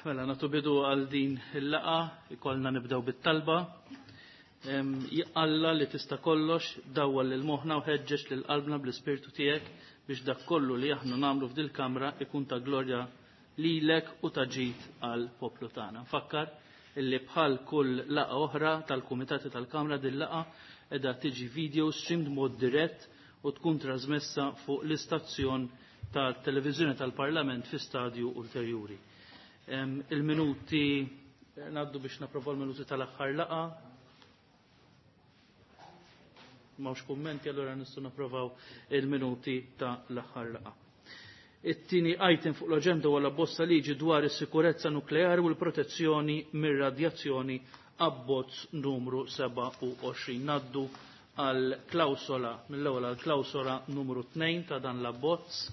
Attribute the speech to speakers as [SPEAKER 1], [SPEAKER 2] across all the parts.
[SPEAKER 1] Mela, nagħtu bidu għal din il-laqgħa, ikollna nibdew bit-talba. Alla li tista' kollox, dawwal lil moħħna u ħeġġeġ lil qalbna bl-ispirtu tiegħek biex dak kollu li aħna nagħmlu f'dil-kamra ikun ta' glorja lilek u ta' ġid għal poplu tagħna. Nfakkar illi bħal kull laqgħa oħra tal-kumitati tal-Kamra din laqgħa qiegħda tiġi video streamed mod dirett u tkun trasmessa fuq l-istazzjon tal-televiżjoni tal-Parlament fi stadju ulterjuri. Il-minuti ngħaddu biex napprovaw il-minuti tal-aħħar laqgħa. M'hawnx kummenti allura nistgħu napprovaw il-minuti ta' l-aħħar laqgħa. It-tieni item fuq l-aġenda huwa l-abbozz liġi dwar is-sikurezza nukleari u l-protezzjoni mir-radjazzjoni abbozz numru 27. Naddu għal klawsola mill-ewwel għal klawsola numru 2 ta' dan l-abbozz.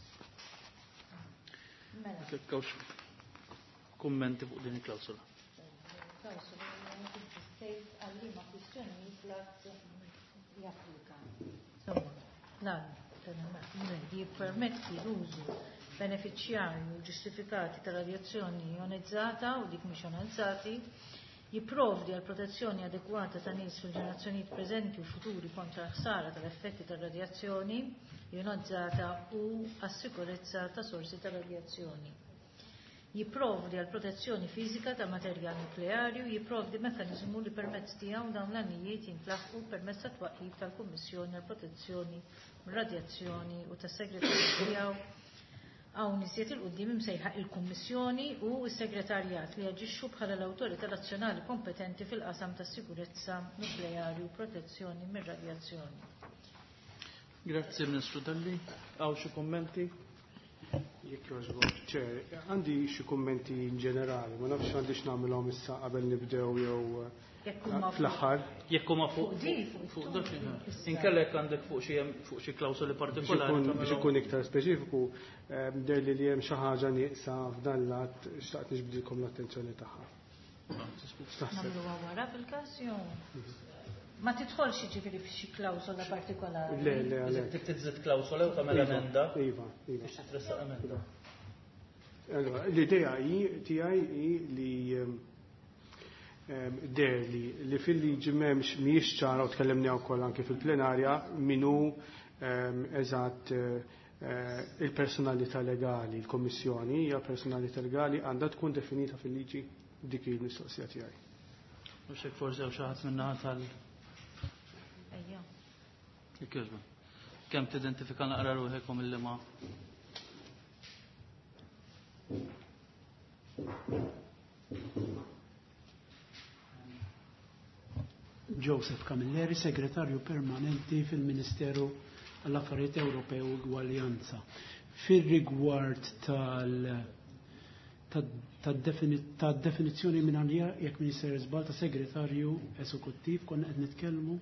[SPEAKER 1] Mela. Kummenti fuq din il-klawsola.
[SPEAKER 2] Klawsola għal liema kwistjonijiet l-att japplika. Insomma, l-għan jippermetti l-użu benefiċjarju ġustifikati ta' radjazzjoni ionizzata u dik mhix ionizzati, jipprovdi għal protezzjoni adekwata ta' nies fil-ġenerazzjonijiet preżenti u futuri kontra l-ħsara tal-effetti tar-radjazzjoni ionizzata u għas-sikurezza ta' sorsi ta' radjazzjoni. Jipprovdi għal protezzjoni fiżika ta' materjal nukleari u jipprovdi mekkaniżmu li permezz tiegħu dawn l-għanijiet jintlaħqu permezz ta' twaqqif tal-Kummissjoni għal Protezzjoni mir-Radjazzjoni u tas-Segretarju tiegħu hawn iżjed 'il quddiem imsejħa il-Kummissjoni u s-Segretarjat li jaġixxu bħala l-awtorità nazzjonali kompetenti fil-qasam tas-sikurezza nukleari u protezzjoni mir-radjazzjoni.
[SPEAKER 1] Grazzi Ministru Dalli. Hawn xi kummenti?
[SPEAKER 3] Jekk jogħġbok, Chair, għandi xi kummenti in ġenerali, ma nafx għandix nagħmilhom issa qabel nibdew jew fl-aħħar.
[SPEAKER 1] Jekk huma fuq fuq dak inkella jekk għandek fuq xi fuq xi klawsoli partikolari.
[SPEAKER 3] Biex ikun iktar speċifiku, deher li li hemm xi ħaġa nieqsa f'dan l-att xtaqt niġbdilkom l-attenzjoni tagħha.
[SPEAKER 2] Nagħmluha wara fil-każ jew ma tidħolx jiġifieri f'xi klawsola partikolari.
[SPEAKER 3] Le, le, le.
[SPEAKER 1] Dik tiżid klawsola u tagħmel emenda.
[SPEAKER 3] Iva, iva.
[SPEAKER 1] Biex titressaq emenda.
[SPEAKER 3] Allora, l-idea hi tiegħi hi li deher li li fil-liġi m'hemmx mhijiex ċara u tkellimna wkoll anke fil-plenarja min hu eżatt il-personalità legali, il-Kommissjoni hija personalità legali għandha tkun definita fil-liġi dik hi l-mistoqsija tiegħi.
[SPEAKER 1] Mhux hekk forsi hawn xi ħadd min-naħa tal
[SPEAKER 2] Ejja.
[SPEAKER 1] Jekk Kemm tidentifika naqra ruħekom illi ma
[SPEAKER 4] Joseph Camilleri, segretarju permanenti fil-Ministeru għall-Affarijiet Ewropew u Gwaljanza. Fir-rigward tad-definizzjoni minn għalija jekk Minister żball ta' segretarju eżekuttiv konna qed nitkellmu.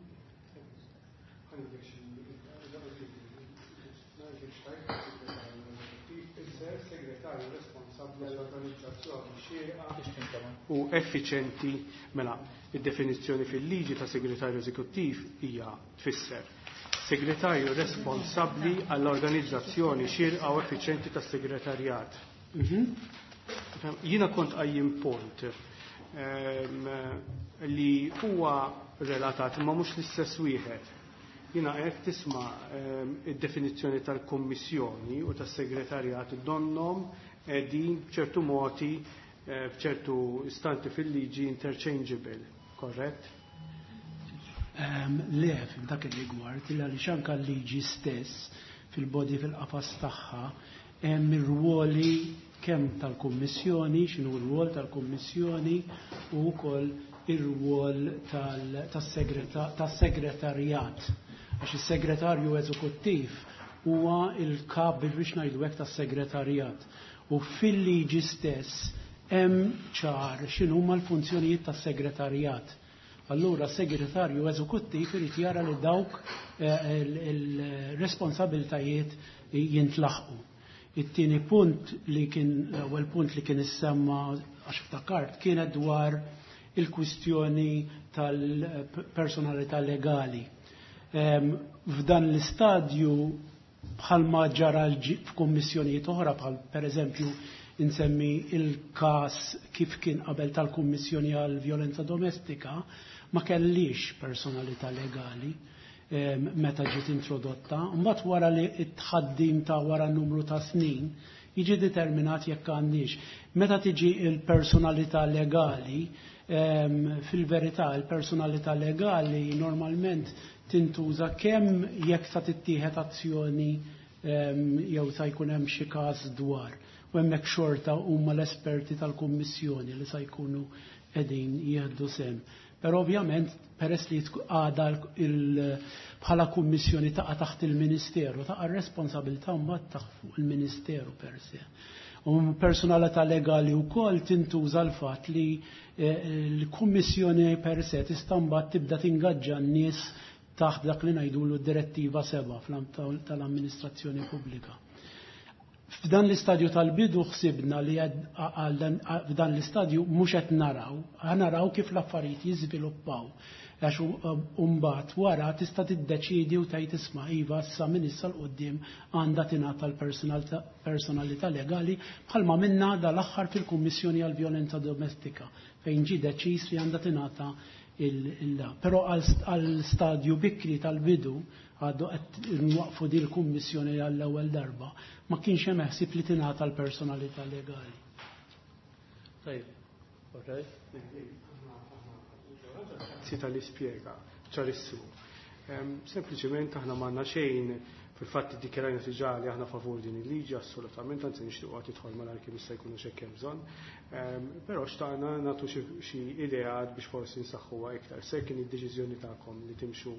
[SPEAKER 3] U effiċenti mela id-definizzjoni fil-liġi ta' segretarju eżekuttiv hija tfisser segretarju responsabbli għall-organizzazzjoni xierqa u effiċenti tas-segretarjat. Jiena kont qajjim punt li huwa relatat imma mhux l-istess wieħed. Jiena qed tisma' id-definizzjoni tal-Kummissjoni u tas-segretarjat donnom qegħdin b'ċertu modi f'ċertu istanti fil-liġi interchangeable, korrett?
[SPEAKER 4] Le, f'dak ir-rigward, illa li anke l-liġi stess fil-body fil-qafas tagħha hemm ir-ruoli kemm tal-Kummissjoni, x'inhu r-rwol tal-Kummissjoni u wkoll ir-rwol tas-segretarjat. Għax is-segretarju eżekuttiv huwa il-kap biex ngħidu hekk tas-segretarjat. U fil-liġi stess hemm ċar x'inhuma l-funzjonijiet tas-segretarjat. Allura segretarju eżekuttiv irid jara li dawk il-responsabiltajiet jintlaħqu. It-tieni punt li kien l-ewwel punt li kien issemma għax ftakart kienet dwar il-kwistjoni tal-personalità legali. F'dan l-istadju bħalma ġara f'kummissjonijiet oħra bħal pereżempju Insemmi il-każ kif kien qabel tal-Kummissjoni għal Vjolenza Domestika ma kellix personalità legali meta ġiet introdotta. Mbagħad wara li t-tħaddim ta' wara numru ta' snin jiġi determinat jekk għandix. Meta tiġi il-personalità legali, fil-verità il-personalità legali normalment tintuża kemm jekk sa tittieħed azzjoni jew sa jkun hemm xi każ dwar. U hemmhekk xorta huma l-esperti tal-Kummissjoni li sa jkunu qegħdin jieħdu sehem. Però ovvjament peress li għada bħala kummissjoni taqa' taħt il-Ministeru, taqa' r-responsabilità mbagħad taħt fuq il-Ministeru per se. U personalità legali wkoll tintuża l-fatt li l-kummissjoni per se tista' mbagħad tibda tingaġġa n-nies taħt dak li ngħidulu d-direttiva 7 tal-amministrazzjoni pubblika. F'dan l-istadju tal-bidu ħsibna li f'dan l-istadju mhux qed naraw, naraw kif l-affarijiet jiżviluppaw. Għax mbagħad wara tista' tiddeċidi u tgħid isma' iva issa minn issa 'l quddiem għandha tingħata l-personalità legali bħalma minna dal-aħħar fil-Kummissjoni għall-Vjolenza Domestika fejn ġie deċiż li għandha tingħata il Però għal stadju bikri tal-bidu għadu qed nwaqfu din il-kummissjoni għall-ewwel darba, ma kienx hemm ħsieb li tingħata l-personalità legali.
[SPEAKER 1] Tajjeb, okay.
[SPEAKER 3] Grazzi tal-ispjega, ċarissimu. Sempliċement aħna m'għandna xejn, fil-fatt iddikjarajna diġà li aħna favur din il-liġi, assolutament, anzi nixtiequ tidħol malajr kemm jista' jkun hekk hemm bżonn. Però xtaqna nagħtu xi ideat biex forsi nsaħħuha iktar. Se kien id-deċiżjoni tagħkom li timxu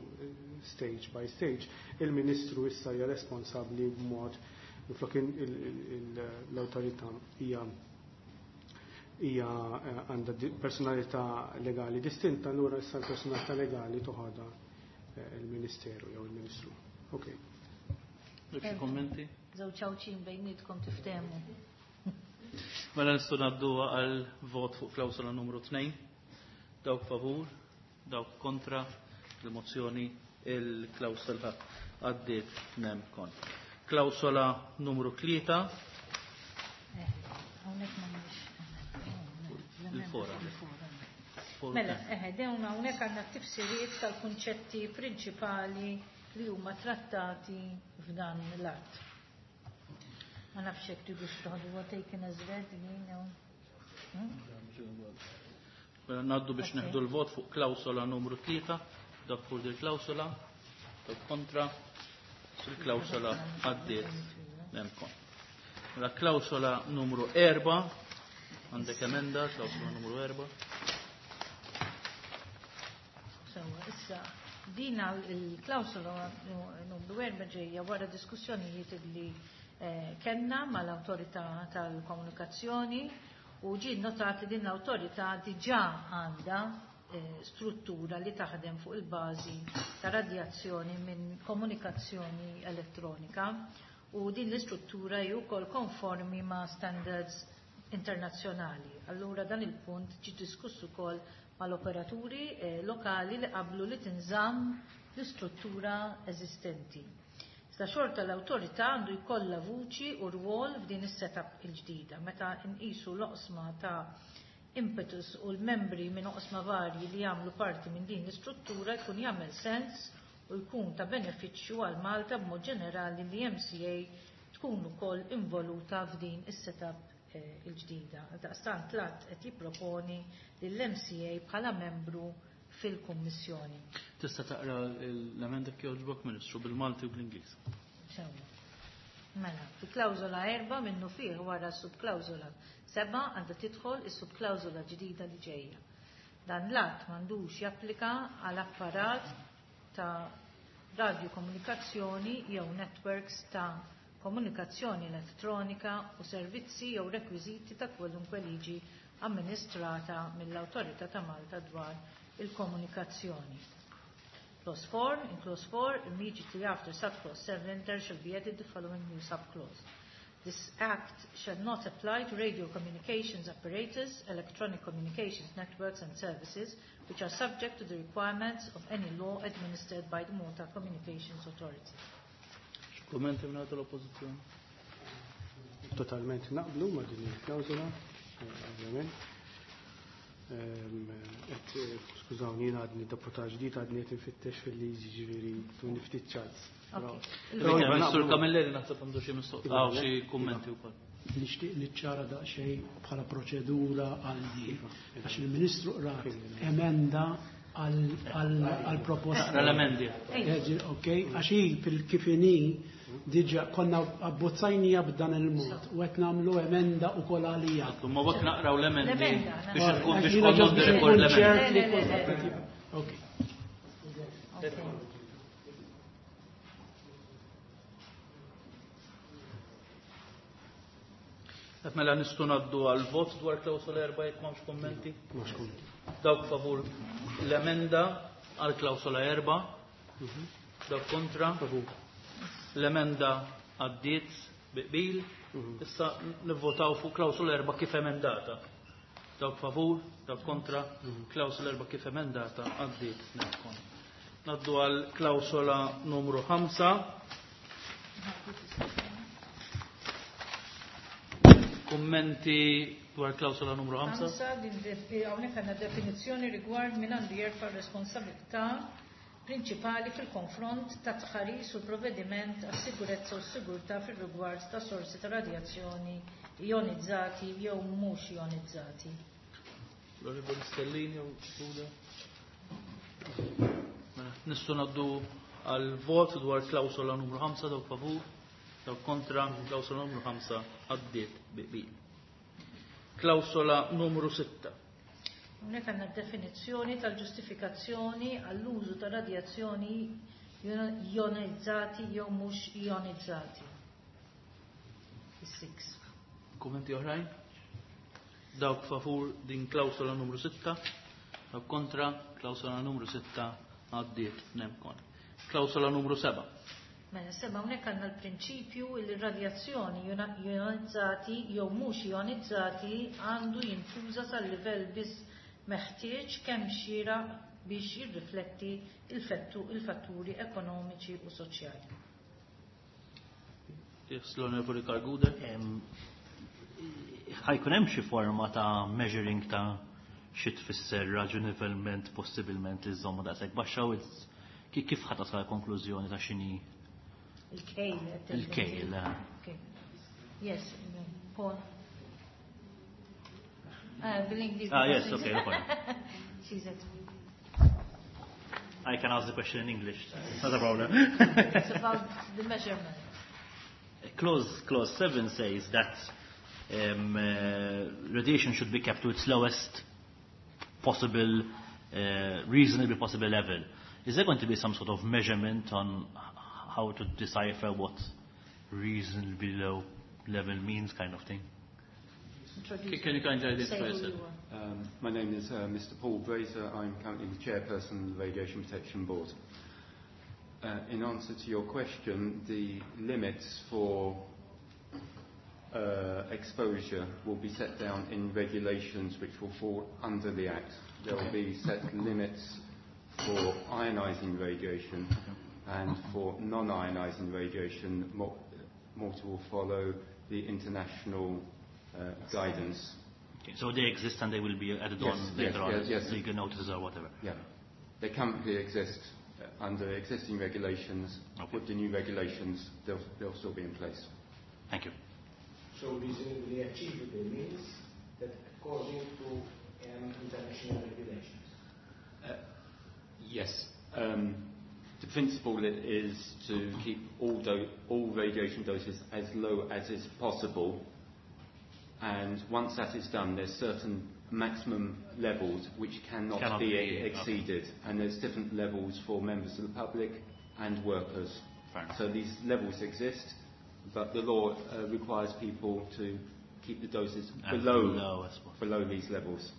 [SPEAKER 3] stage by stage, il-Ministru issa hija responsabbli b'mod minflok l-awtorità hija għandha personalità legali distinta, allura issa l-personalità legali toħodha il-Ministeru jew il-Ministru. Ok.
[SPEAKER 1] Xi kommenti?
[SPEAKER 2] Żewġ ċawċin bejnietkom tiftehmu.
[SPEAKER 1] Mela nistgħu ngħaddu għal vot fuq klawsola numru 2. Dawk favur, dawk kontra il-mozzjoni, il-klawsola għaddiet nem kon. Klawsola numru 3.
[SPEAKER 2] Hawnhekk m'għandniex.
[SPEAKER 1] Il-fora.
[SPEAKER 2] Mela, dawn hawnhekk għandna tifsiriet tal-kunċetti prinċipali li huma trattati f'dan l-att. Ma nafx hekk tridux toħdu taken as read jien jew.
[SPEAKER 1] Mela ngħaddu biex neħdu l-vot fuq klawsola numru 3, dak fuq il-klawsola, dak kontra, il-klawsola għaddiet nemkom. Mela klawsola numru 4, għandek emenda, klawsola numru 4.
[SPEAKER 2] Sewa, issa dina il-klawsola numru 4 ġejja wara diskussjonijiet li kellna mal-awtorità tal-komunikazzjoni u ġie notat li din l-awtorità diġà għandha struttura li taħdem fuq il-bażi ta' radjazzjoni minn komunikazzjoni elettronika u din l-istruttura hi wkoll konformi ma' standards internazzjonali. Allura dan il-punt ġie diskuss ukoll mal-operaturi lokali li qablu li tinżamm l-istruttura eżistenti. Iżda xorta l-awtorità għandu jkollha vuċi u rwol f'din is-setup il-ġdida. Meta nqisu l-oqsma ta' impetus u l-membri minn oqsma varji li jagħmlu parti minn din l-istruttura jkun jagħmel sens u jkun ta' benefiċċju għal Malta b'mod ġenerali li MCA tkun ukoll involuta f'din is-setup il-ġdida. Daqstant l-att qed jipproponi lill-MCA bħala membru fil-Kummissjoni.
[SPEAKER 1] Tista' taqra l-emenda jogħġbok, Ministru, bil-Malti u bl-Ingliż.
[SPEAKER 2] Sewa. Mela, fi klawżola 4 minnu fih wara subklawżola 7 għandha tidħol is-subklawżola ġdida li ġejja. Dan l-att m'għandux japplika għal apparat ta' radiokomunikazzjoni jew networks ta' komunikazzjoni elettronika u servizzi jew rekwiżiti ta' kwalunkwe liġi amministrata mill-Awtorità ta' Malta dwar il-komunikazzjoni. Clause 4, in clause 4, immediately after subclause 7, there shall be added the following new subclause. This Act shall not apply to radio communications apparatus, electronic communications networks and services, which are subject to the requirements of any law administered by the Malta Communications Authority.
[SPEAKER 1] Kummenti minn l-oppożizzjoni?
[SPEAKER 3] Totalment naqblu ma' din il-klawżola, ovvjament. Et, skużawni, jien għadni deputat ġdid, għadni qed infittex fil-liġi, ġifieri tuni ftit ċans.
[SPEAKER 1] Sur Camilleri naħseb għandu xi mistoqsijiet, xi kummenti wkoll.
[SPEAKER 4] Nixtieq niċċara daqsxejn bħala proċedura għal di. Għax il-Ministru qrat emenda għal proposta.
[SPEAKER 1] L-emendi.
[SPEAKER 4] Ok, għax hi fil-kif inhi diġà konna abbozzajnija b'dan il-mod u qed nagħmlu emenda ukoll għalija.
[SPEAKER 1] Ma waqt naqraw l-emendi
[SPEAKER 2] L-emenda,
[SPEAKER 1] biex ikun biex
[SPEAKER 4] Jiena
[SPEAKER 1] konna
[SPEAKER 4] ġast biex
[SPEAKER 1] rekord
[SPEAKER 4] inkun
[SPEAKER 1] l-emendi.
[SPEAKER 4] ċert li
[SPEAKER 2] Le, le, le,
[SPEAKER 4] kulħadd
[SPEAKER 2] le.
[SPEAKER 4] qed jibqa'. Ok.
[SPEAKER 2] Okay.
[SPEAKER 1] Qed mela nistgħu ngħaddu għal vot dwar klawsola 4 jekk m'hawnx kummenti.
[SPEAKER 3] Mhux kummenti.
[SPEAKER 1] Dawk favur l-emenda għal klawsola 4. Dawk kontra.
[SPEAKER 3] Favur.
[SPEAKER 1] L-emenda għaddiet bi qbil. Issa nivvotaw fuq klawsola 4 kif emendata. Dawk favur, dawk kontra, klawsola 4 kif emendata għaddiet nemkon. Naddu għal klawsola numru 5. Kummenti dwar klawsola numru 5?
[SPEAKER 2] 5, hawnhekk għandna definizzjoni rigward min għandu jerfa' responsabilità prinċipali fil-konfront ta' tħaris u provvediment għas-sigurezza u s-sigurtà fil-rigward ta' sorsi ta' radjazzjoni ionizzati jew mhux ionizzati.
[SPEAKER 1] L-Onorevoli Stellini u Suda. Mela, nistgħu ngħaddu għal vot dwar klawsola numru 5, dawk favur, dawk kontra, klawsola numru 5 għaddiet bi qbil. Klawsola numru 6.
[SPEAKER 2] Hawnhekk għandna definizzjoni tal-ġustifikazzjoni għall-użu ta' radjazzjoni ionizzati jew mhux ionizzati. Is-six.
[SPEAKER 1] Kummenti oħrajn? Dawk favur din klawsola numru 6, dawk kontra, klawsola numru 6 għaddiet nemkon. Klawsola numru 7.
[SPEAKER 2] Mela 7, hawnhekk għandna l-prinċipju li r-radjazzjoni ionizzati jew mhux ionizzati għandu jintuża sal-livell biss meħtieġ kemm xieraq biex jirrifletti il-fatturi ekonomiċi u soċjali.
[SPEAKER 1] Yes, l-Onorevoli Karl Gouder.
[SPEAKER 5] Ħa jkun hemm xi forma ta' measuring ta' xi tfisser raġunevolment possibilment li żommu daqshekk baxxa u kif ħa tasal konklużjoni ta' x'inhi
[SPEAKER 2] Il-kejl, qed tgħid.
[SPEAKER 5] Il-kejl, eh.
[SPEAKER 2] Okay. Yes, Paul. Bil-Ingliż.
[SPEAKER 5] Ah, yes, okay, no problem.
[SPEAKER 2] She's at
[SPEAKER 5] I can ask the question in English. It's not a problem.
[SPEAKER 2] It's about the measurement.
[SPEAKER 5] Clause 7 says that radiation should be kept to its lowest possible, reasonably possible level. Is there going to be some sort of measurement on how to decipher what reasonably low level means, kind of thing?
[SPEAKER 2] Introduce
[SPEAKER 1] Can you kindly identify
[SPEAKER 2] Say who
[SPEAKER 1] yourself?
[SPEAKER 2] you are.
[SPEAKER 6] My name is Mr. Paul Brazier. I'm currently the chairperson of the Radiation Protection Board. In answer to your question, the limits for exposure will be set down in regulations which will fall under the Act. There will be set limits for ionizing radiation and for non-ionizing radiation. Malta will follow the international guidance.
[SPEAKER 5] Okay, so they exist and they will be added
[SPEAKER 6] Yes,
[SPEAKER 5] on
[SPEAKER 6] yes,
[SPEAKER 5] later on,
[SPEAKER 6] yes, yes.
[SPEAKER 5] legal notices or whatever.
[SPEAKER 6] Yeah. They currently exist under existing regulations. With the new regulations, they'll still be in place.
[SPEAKER 5] Thank you.
[SPEAKER 7] So reasonably achievable means that according to international regulations?
[SPEAKER 6] Yes. The principle is to keep all radiation doses as low as is possible, and once that is done, there's certain maximum levels which cannot,
[SPEAKER 5] Cannot
[SPEAKER 6] be
[SPEAKER 5] be, okay.
[SPEAKER 6] exceeded, and there's different levels for members of the public and workers.
[SPEAKER 5] Fair enough.
[SPEAKER 6] So these levels exist, but the law requires people to keep the doses
[SPEAKER 5] As low as possible.
[SPEAKER 6] below these levels,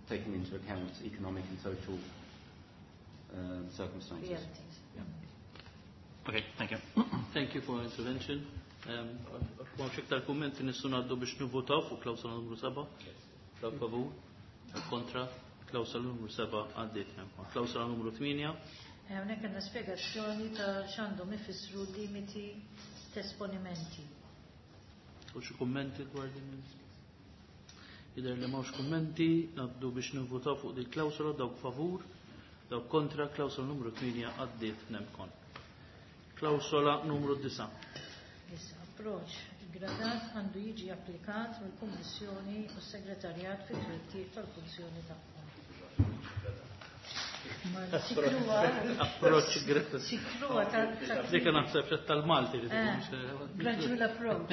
[SPEAKER 6] taking into account economic and social circumstances.
[SPEAKER 2] Realities.
[SPEAKER 6] Yeah.
[SPEAKER 5] Okay, thank you.
[SPEAKER 1] Thank you for your intervention. M'hawnx iktar kummenti, nistgħu ngħaddu biex nivvotaw fuq klawsola numru 7. Dawk favur, dawk kontra, klawsola numru 7 għaddiet. Klawsola numru 8.
[SPEAKER 2] Hawnhekk għandna spjegazzjoni ta' x'għandhom ifissru limiti t'esponimenti.
[SPEAKER 1] U xi kummenti dwar din? Jidher li m'hawnx kummenti, ngħaddu biex nivvutaw fuq din klawsola dawk favur, dawk kontra, klawsola numru 8 għaddiet nemkon. Klawsola numru 9.
[SPEAKER 2] Issa, approċ gradat għandu jiġi applikat mill-Kummissjoni u s-Segretarjat fit-twettiq tal-funzjoni tagħhom.
[SPEAKER 1] Approċ gradat.
[SPEAKER 2] Sikruha ta'
[SPEAKER 1] Dik naħseb xed tal-Malti li
[SPEAKER 2] Eh, Gradual approach.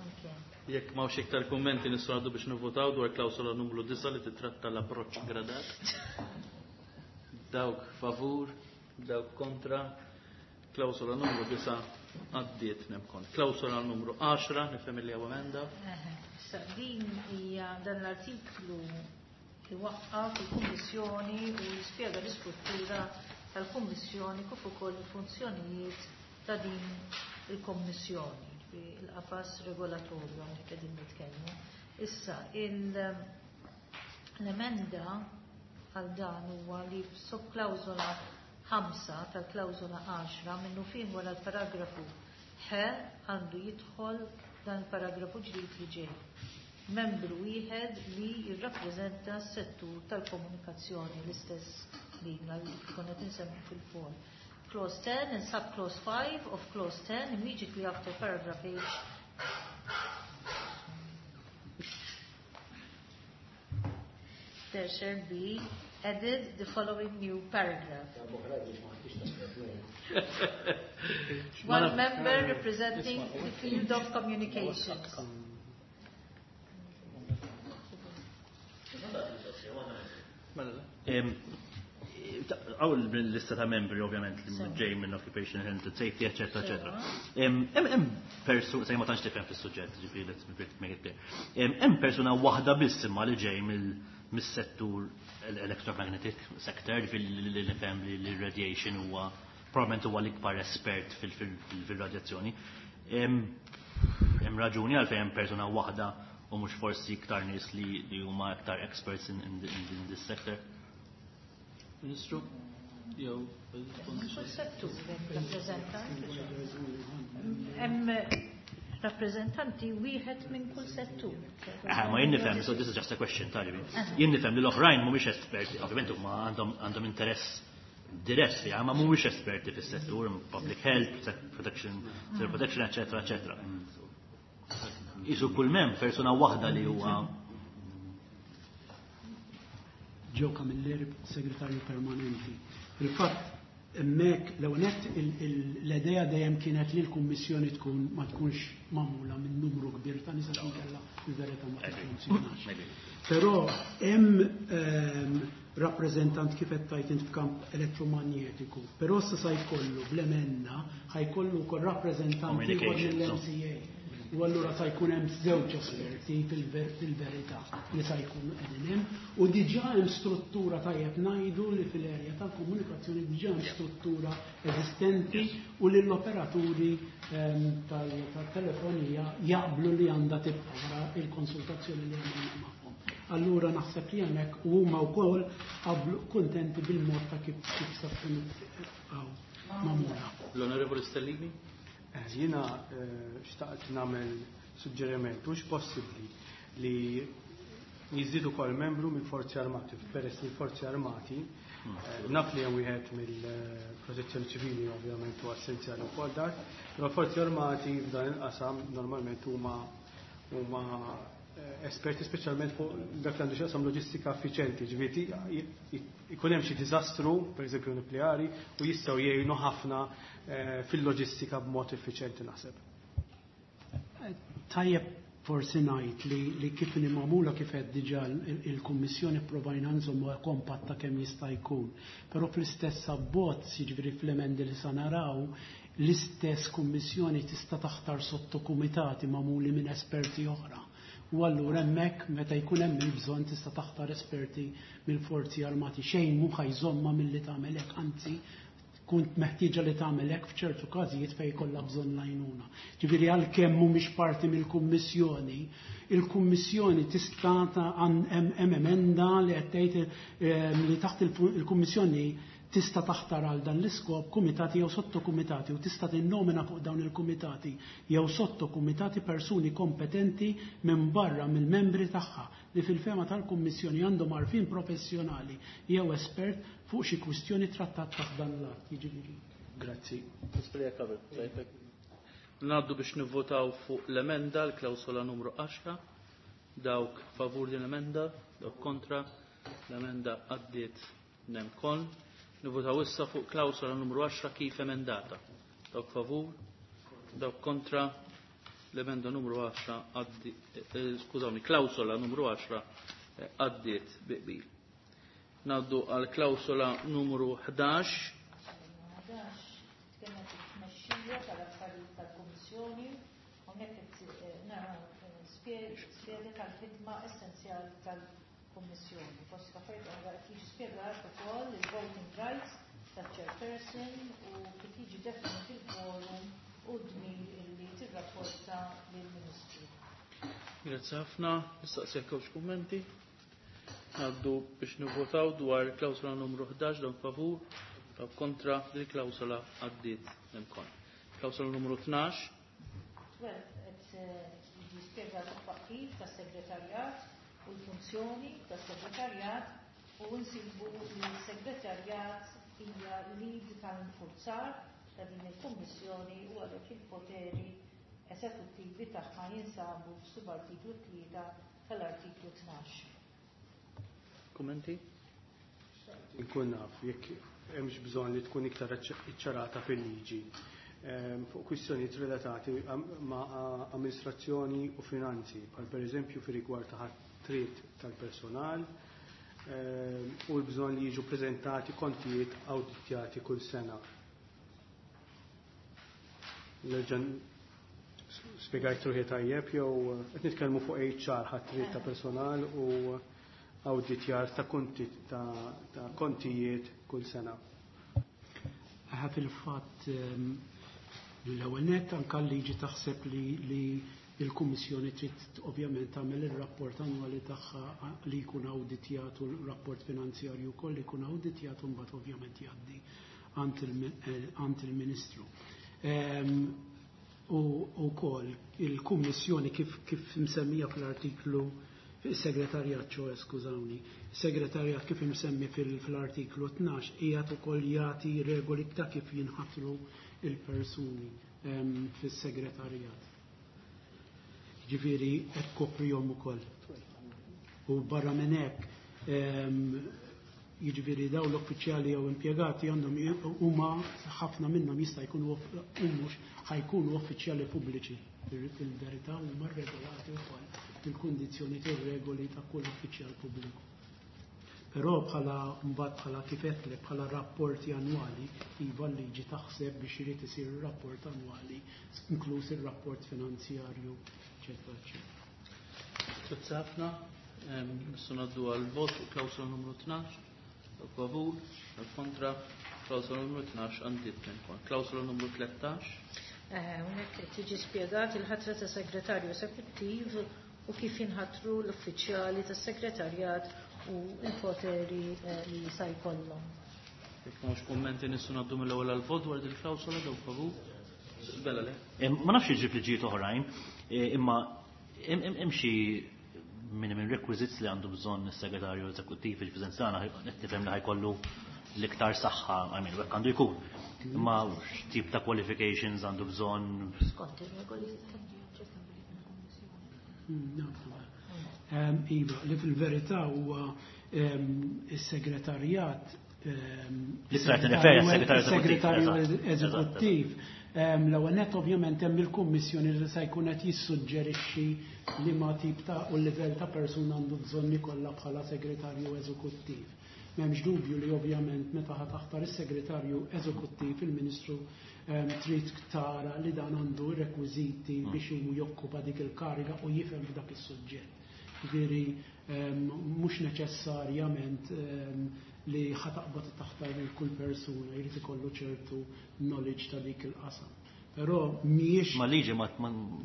[SPEAKER 2] Okay.
[SPEAKER 1] Jekk m'hawnx iktar kummenti nistgħu ngħaddu biex nivvotaw dwar klawsola numru 9 li titratta l-approċċ gradat. Dawk favur, dawk kontra. Klawsola numru 9 għaddiet nemkon. Klawsola numru 10 nifhem li hawn emenda.
[SPEAKER 2] Issa din hija dan l-artiklu iwaqqaf il-Kummissjoni u jispjega l-istruttura tal-Kummissjoni kif ukoll il-funzjonijiet ta' din il-Kommissjoni, il-qafas regolatorju hawnhekk qegħdin nitkellmu. Issa l-emenda għal dan huwa li f'subklawżola 5 tal-klawżola 10 minnu fih wara l-paragrafu H għandu jidħol dan il-paragrafu ġdid li ġej. Membru wieħed li jirrappreżenta s-settur tal-komunikazzjoni l-istess linja li konna tinsemmu fil-fol. Clause 10 and subclause 5 of clause 10 immediately after paragraph H there shall be added the following new paragraph. One member representing the field of communications.
[SPEAKER 1] Mela.
[SPEAKER 5] Għaw l-lista ta' membri ovvjament li ġej minn Occupation Health and Safety, eccetera, eccetera. Hemm persuna, sej ma tantx tifhem fis-suġġett, ġifieri let's make it clear. Hemm persuna waħda biss imma li ġej mis-settur electromagnetic sector, ġifieri li nifhem li radiation huwa probablement huwa l-ikbar espert fil-radjazzjoni. Hemm raġuni għalfejn hemm persuna waħda u mhux forsi iktar nies li huma iktar experts in this sector.
[SPEAKER 1] Ministru, jew
[SPEAKER 2] Kull settur hemm rappreżentant. Hemm rappreżentanti wieħed minn kull settur.
[SPEAKER 5] Ah, ma jien nifhem, so this is just a question, talibi. Jien nifhem li l-oħrajn mhumiex esperti, ovvjament huma għandhom interess dirett fiha, ma mhumiex esperti fis-settur, public health, protection, civil protection, eccetera, eccetera. Isu kull mem persuna waħda li huwa
[SPEAKER 4] Joe Camilleri, segretarju permanenti. Il-fatt hemmhekk l-ewwel l-idea dejjem kienet li l-Kummissjoni tkun ma tkunx magħmula minn numru kbir ta' nies għax inkella il-verità ma tiffunzjonax. Però hemm rappreżentant kif qed tgħid int f'kamp elettromagnetiku, però issa sa jkollu bl-emenda ħajkollu wkoll rappreżentant ieħor mill-MCA. U allura sa jkun hemm żewġ esperti fil-verità li sa jkunu qegħdin hemm u diġà hemm struttura tajjeb ngħidu li fil-erja tal-komunikazzjoni diġà hemm struttura eżistenti u li l-operaturi tal-telefonija jaqblu li għandha tibqa' wara il-konsultazzjoni li għamilna magħhom. Allura naħseb li hemmhekk u huma wkoll qablu kuntenti bil-mod ta' kif sa tkun magħmula.
[SPEAKER 1] L-Onorevoli Stellini?
[SPEAKER 3] Jiena xtaqt nagħmel suġġeriment, hux possibbli li jiżdiedu ukoll membru mill-Forzi Armati, peress li l-Forzi Armati naf li hemm wieħed mill-Protezzjoni Ċivili ovvjament huwa essenzjali wkoll dak, però Forzi Armati f'dan il-qasam normalment huma esperti speċjalment fuq dak li għandu x'jaqsam loġistika effiċjenti, ġifieri ikun hemm xi diżastru, pereżempju nukleari, u jistgħu jgħinu ħafna fil-loġistika b'mod effiċjenti naħseb.
[SPEAKER 4] Tajjeb forsi ngħid li kif inhi magħmula kif qed diġà il-Kummissjoni pprovajna nżommu kompatta kemm jista' jkun. Però fl-istess abbozz, jiġifieri fl-emendi li sa naraw, l-istess Kummissjoni tista' taħtar sottokumitati magħmuli minn esperti oħra. U allura hemmhekk meta jkun hemm il-bżonn tista' taħtar esperti mill-Forzi Armati. Xejn mhu ħajżomma milli tagħmel hekk, anzi tkun meħtieġa li tagħmel hekk f'ċertu każijiet fejn jkollha bżonn l-għajnuna. Ġifieri għalkemm mhumiex parti mill-Kummissjoni, il-Kummissjoni tista' hemm emenda li qed tgħid li taħt il-Kummissjoni Tista' taħtar għal dan l-iskop kumitati jew sottokumitati u tista' tinnomina fuq dawn il-kumitati jew sottokumitati persuni kompetenti minn barra mill-membri tagħha li fil-fehma tal-Kummissjoni għandhom għarfien professjonali jew espert fuq xi kwistjoni trattat taħt dan l-att. Jiġifieri.
[SPEAKER 3] Grazzi.
[SPEAKER 1] Ngħaddu biex nivvotaw fuq l-emenda l-klawsola numru 10. Dawk favur din l-emenda, dawk kontra, l-emenda għaddiet nemkon. Nivvotaw issa fuq klawsola numru 10 kif emendata. Dawk favur, dawk kontra, l-emenda numru 10 għaddi, skużawni, klawsola numru 10 għaddiet bi qbil. Ngħaddu għal klawsola numru 11.
[SPEAKER 2] 11 tkellem fuq tmexxija tal-affarijiet tal-Kummissjoni, hawnhekk qed naraw spjega tal-ħidma essenzjali tal-Kummissjoni. Fost l-affarijiet oħra qed jiġi spjegat ukoll il-voting rights tal-chairperson u kif jiġi definit il-quorum u d-dmir illi tirrapporta lill-Ministru.
[SPEAKER 1] Grazzi ħafna, nistaqsi jekk hawnx kummenti. Ngħaddu biex nivvotaw dwar klawsola numru 11, dawk favur, dawk kontra, din il-klawsola għaddiet imkoll. Klawsola numru 12.
[SPEAKER 2] 12 qed jiġi spjegat it-twaqqif tas-segretarjat u l-funzjoni tas-segretarjat u nsibu li s-segretarjat hija l-id tal-infurzar ta' din il-Kummissjoni u għalhekk il-poteri eżekuttivi tagħha jinsabu f'subartiklu 3 tal-artiklu 12.
[SPEAKER 1] Kummenti?
[SPEAKER 3] Inkun naf jekk hemmx bżonn li tkun iktar iċċarata fil-liġi fuq kwistjonijiet relatati ma' amministrazzjoni u finanzi, bħal pereżempju fir-rigward ta' ħatriet tal-personal u l-bżonn li jiġu preżentati kontijiet awditjati kull sena. Nerġa' spjegajt ruħi tajjeb jew qed nitkellmu fuq HR, ħatriet ta' personal u awditjar ta' konti ta' kontijiet kull sena.
[SPEAKER 4] Ħa fil-fatt l-ewwel nett anke l-liġi taħseb li l-Kummissjoni trid ovvjament tagħmel ir-rapport annwali tagħha li jkun awditjat u l-rapport finanzjarju wkoll li jkun awditjat u mbagħad ovvjament jgħaddi għand il-Ministru. U wkoll il-Kummissjoni kif msemmija fl-artiklu il-segretarjat, ċoe, skużawni, il-segretarjat kif imsemmi fil-artiklu 12 qiegħed ukoll jagħti regoli ta' kif jinħatru il-persuni fis-segretarjat. Ġifieri qed koprihom ukoll. U barra minn hekk, jiġifieri dawn l-uffiċjali jew impjegati għandhom huma ħafna minnhom jista' jkunu mhux ħajkunu uffiċjali pubbliċi. Fil-verità huma regolati wkoll il-kundizzjoni u regoli ta' kull uffiċjal pubbliku. Però bħala mbagħad bħala kif qedlek bħala rapporti annwali, iva l-liġi taħseb biex irid isir rapport annwali, inkluż ir-rapport finanzjarju, eċetera, eċetera.
[SPEAKER 1] Grazzi ħafna. Nistgħu ngħaddu għal vot fuq klawsola numru 12. Dawk favur, dawk kontra, klawsola numru 12 għaddiet minn Klawsola numru 13.
[SPEAKER 2] Hawnhekk tiġi spjegat il-ħatra ta' segretarju eżekuttiv u kif jinħatru l-uffiċjali tas-segretarjat u l-poteri li sa jkollhom.
[SPEAKER 1] Jekk m'hawnx kummenti nistgħu ngħaddu mill-ewwel għall-vot dwar din il-klawsola, dawk favur. Bella le.
[SPEAKER 5] Ma nafx jiġri f'liġijiet oħrajn, imma hemm xi minimum requisites li għandu bżonn is-segretarju eżekuttiv fil-preżenza tagħna qed nifhem li ħajkollu l-iktar saħħa, I mean, hekk għandu jkun. Imma x'tip ta' qualifications għandu bżonn?
[SPEAKER 2] Skont ir-regoli.
[SPEAKER 4] Iva, li fil-verità huwa is-segretarjat
[SPEAKER 5] Li trid tirreferi għas-segretarju
[SPEAKER 4] segretarju eżekuttiv. L-ewwel nett ovvjament hemm il-Kummissjoni li se jkun qed jissuġġerixxi li ma tip ta' u livell ta' persuna għandu bżonn ikollha bħala segretarju eżekuttiv. M'hemmx dubju li ovvjament meta ħa taħtar is-segretarju eżekuttiv il-Ministru trid tara li dan għandu rekwiżiti biex hu jokkupa dik il-kariga u jifhem f'dak is-suġġett. Ġifieri mhux neċessarjament li ħa taqbad taħtar lil kull persuna, jrid ikollu ċertu knowledge ta' dik il-qasam. Però mhijiex
[SPEAKER 5] Ma liġi ma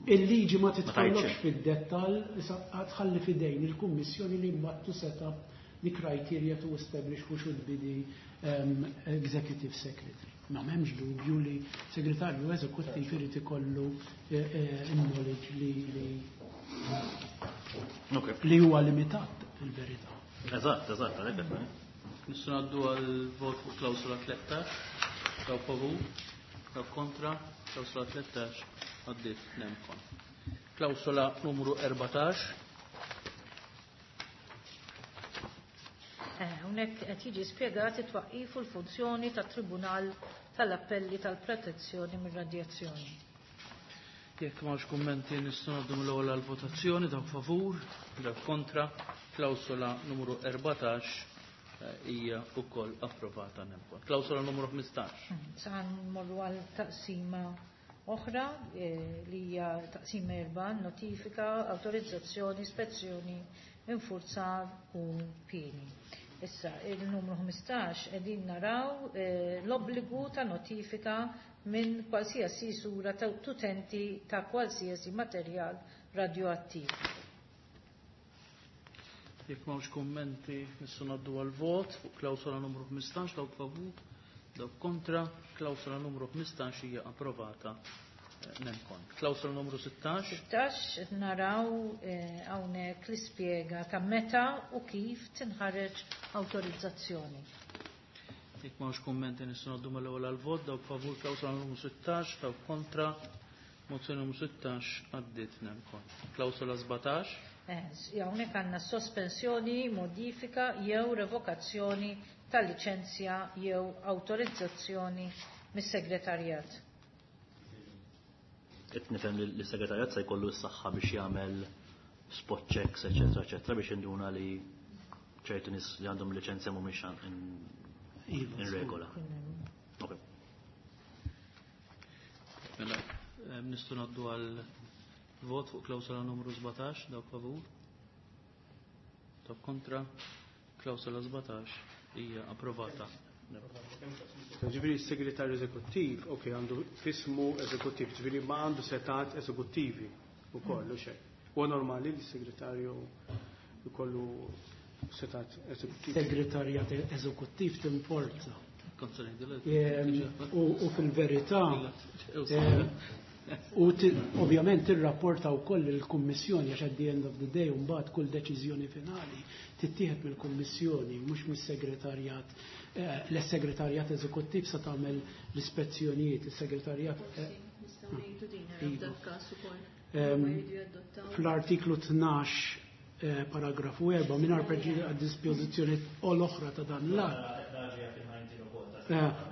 [SPEAKER 4] Il-liġi ma
[SPEAKER 5] ma
[SPEAKER 4] titħallokx
[SPEAKER 5] tgħidx.
[SPEAKER 4] fid-dettall, issa tħalli fidejn il-Kummissjoni li mbagħad to set up the criteria to establish who should be the executive secretary. Ma m'hemmx dubju li segretarju eżekuttiv irid ikollu knowledge li huwa limitat fil-verità.
[SPEAKER 5] Eżatt, għalhekk qed ngħid.
[SPEAKER 1] Nistgħu ngħaddu għal vot fuq klawsola 13, dawk favur, dawk kontra, klawsola 13 għaddiet nem con. Klawsola numru 14.
[SPEAKER 2] Hawnhekk qed jiġi spjegat it-twaqqif u l-funzjoni tat-Tribunal tal-Appelli tal-Protezzjoni mir-Radjazzjoni.
[SPEAKER 1] Jekk m'hawnx kummenti nistgħu ngħaddu mill-ewwel għall-votazzjoni, dawk favur, dawk kontra, klawsola numru 14 hija wkoll approvata nem con. Klawsola numru 15.
[SPEAKER 2] Sa nmorru għal taqsima oħra li hija taqsima 4, notifika, awtorizzazzjoni, ispezzjoni, infurzar u pieni. Issa, il-numru 15 qegħdin naraw l-obbligu ta' notifika minn qualsiasi sura ta' utenti ta' qualsiasi materjal radioattiv.
[SPEAKER 1] Jekk m'hawnx kummenti nistgħu ngħaddu għal vot fuq klawsola numru 15, dawk favur, dawk kontra, klawsola numru 15 hija approvata nem con. Klawsola numru 16.
[SPEAKER 2] 16 naraw hawnhekk l-ispjega ta' meta u kif tinħareġ awtorizzazzjoni.
[SPEAKER 1] Jekk m'hawnx kummenti nistgħu ngħaddu mill-ewwel għal vot, dawk favur klawsola numru 16, dawk kontra, mozzjoni numru 16 għaddiet nem con. Klawsola 17.
[SPEAKER 2] Hawnhekk għandna sospensjoni, modifika jew revokazzjoni tal-liċenzja jew awtorizzazzjoni mis-segretarjat.
[SPEAKER 5] Qed nifhem li l-segretarjat se jkollu s-saħħa biex jagħmel spot checks, eċetera, eċetera, biex induna li ċertu nies li għandhom liċenzja mhumiex in regola. Ok.
[SPEAKER 1] Mela, nistgħu ngħaddu għal vot fuq klawsola numru 17, dawk favur. Dawk kontra, klawsola 17 hija approvata.
[SPEAKER 3] Ġifieri s-segretarju eżekuttiv, ok, għandu fismu eżekuttiv, ġifieri ma għandu setat eżekuttivi u kollu xejn. Huwa normali li s-segretarju jkollu setat eżekuttivi.
[SPEAKER 4] Segretarjat eżekuttiv tinforza. U fil-verità, u ovvjament tirrapporta wkoll il-Kummissjoni għax at the end of the day mbagħad kull deċiżjoni finali tittieħed mill-Kummissjoni mhux mis-segretarjat. L-segretarjat eżekuttiv se tagħmel l-ispezzjonijiet, is-segretarjat
[SPEAKER 8] Nistgħu ngħidu din f'dak każ ukoll.
[SPEAKER 4] Fl-artiklu 12 paragrafu 4 mingħajr preġudizzju għad-dispożizzjoni u l-oħra ta' dan l-att.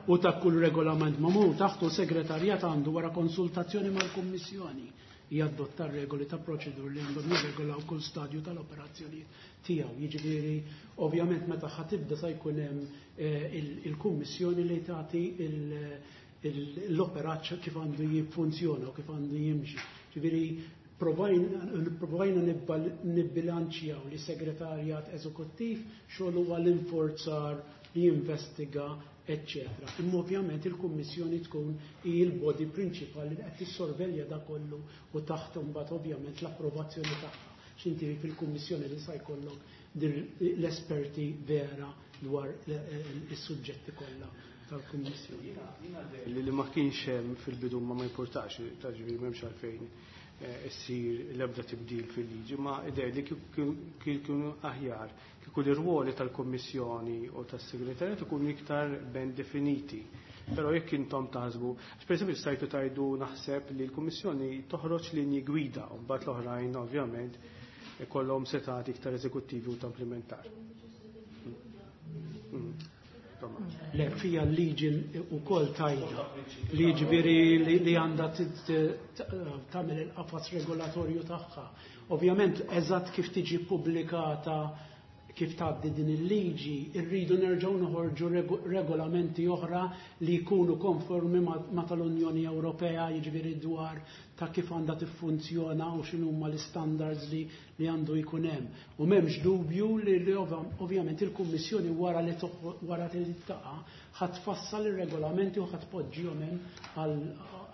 [SPEAKER 4] U ta' kull regolament magħmul taħtu segretarjat għandu wara konsultazzjoni mal-Kummissjoni jadotta regoli ta' proċedur li għandhom jirregolaw kull stadju tal-operazzjonijiet tiegħu. Jiġifieri ovvjament meta ħa tibda sa jkun hemm il-Kummissjoni li tagħti l-operat kif għandu jiffunzjona u kif għandu jimxi. Ġifieri provajna nibbilanċjaw li segretarjat eżekuttiv xogħol huwa l-inforzar li jinvestiga, eccetera. Imma ovvjament il-Kummissjoni tkun il-body prinċipali li qed tissorvelja da kollu u taħt imbagħad ovvjament l-approvazzjoni tagħha. X'inti fil-Kummissjoni li sa jkollok l-esperti vera dwar is-suġġetti kollha tal-Kummissjoni.
[SPEAKER 3] Li ma kienx hemm fil-bidu ma importax, taġifieri m'hemmx għalfejn issir l-ebda tibdil fil-liġi, ma idea li kienu aħjar kieku l-irwoli tal-Kommissjoni u tas-Segretarjat ikunu iktar ben definiti. Però jekk intom taħsbu, għax pereżempju stajtu tajdu naħseb li l-Kummissjoni toħroġ linji gwida u mbagħad l-oħrajn ovvjament ikollhom setat iktar eżekuttivi u ta' implementar.
[SPEAKER 4] Le, fija l-liġi u kol tajda. Liġi veri li għanda tagħmel il-qafas regolatorju tagħha. Ovvjament, eżatt kif tiġi pubblikata, kif tgħaddi din il-liġi, irridu nerġgħu noħorġu regolamenti oħra li jkunu konformi ma tal-Unjoni Ewropea, jiġifieri dwar ta' kif għandha tiffunzjona u x'inhuma l-istandards li għandu jkun hemm. U m'hemmx dubju li ovvjament il-Kummissjoni wara li wara li taqa' ħa tfassal ir-regolamenti u ħa tpoġġihom hemm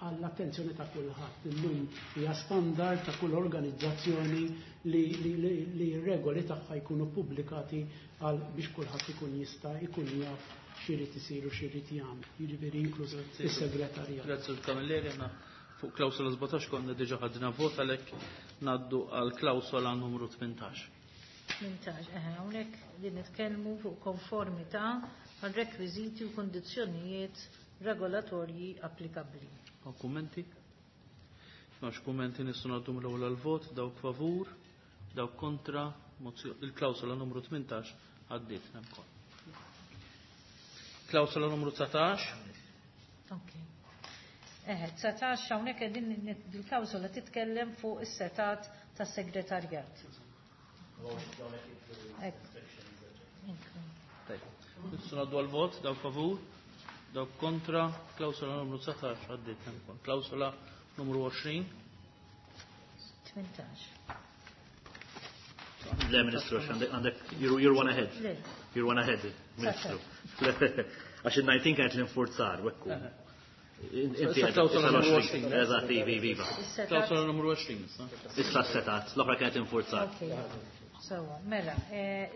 [SPEAKER 4] għall-attenzjoni ta' kulħadd. Illum hija standard ta' kull organizzazzjoni li, li, li, li regoli tagħha jkunu pubblikati għal biex kulħadd ikun jista' jkun jaf x'irid isir u x'irid jagħmel. Jiġifieri inkluż is-segretarjat.
[SPEAKER 1] Grazzi Camilleri, aħna fuq klawsola 17 konna diġà ħadna vot, għalhekk ngħaddu għal klawsola numru 18.
[SPEAKER 2] 18, eħe, hawnhekk li nitkellmu fuq konformità għal rekwiżiti u kondizzjonijiet regolatorji applikabbli.
[SPEAKER 1] Hawn kummenti? M'hawnx kummenti, nistgħu ngħaddu mill-ewwel għall-vot, dawk favur, dawk kontra, il-klawsola numru 18 għaddiet ukoll. Klawsola numru 19.
[SPEAKER 2] Ok. Eħe, 19, hawnhekk qegħdin il-klawsola titkellem fuq is-setat tas-segretarjat. Hekk.
[SPEAKER 1] Tajjeb. Nistgħu ngħaddu għall-vot, dawk favur, dawk kontra, klawsola numru 19 għaddiet ukoll. Klawsola numru 20.
[SPEAKER 2] 18.
[SPEAKER 5] Le, Ministru, għandek, you're one ahead.
[SPEAKER 2] Le.
[SPEAKER 5] You're one ahead, Ministru. Għax il-19 kienet l-infurzar, wekku. Inti
[SPEAKER 1] Issa klawsola numru 20.
[SPEAKER 5] Eżatt, ivi, iva.
[SPEAKER 2] Is-setat.
[SPEAKER 1] Klawsola numru 20, issa.
[SPEAKER 5] Issa s-setat, l-oħra kienet infurzar.
[SPEAKER 2] Ok. Sewa, mela,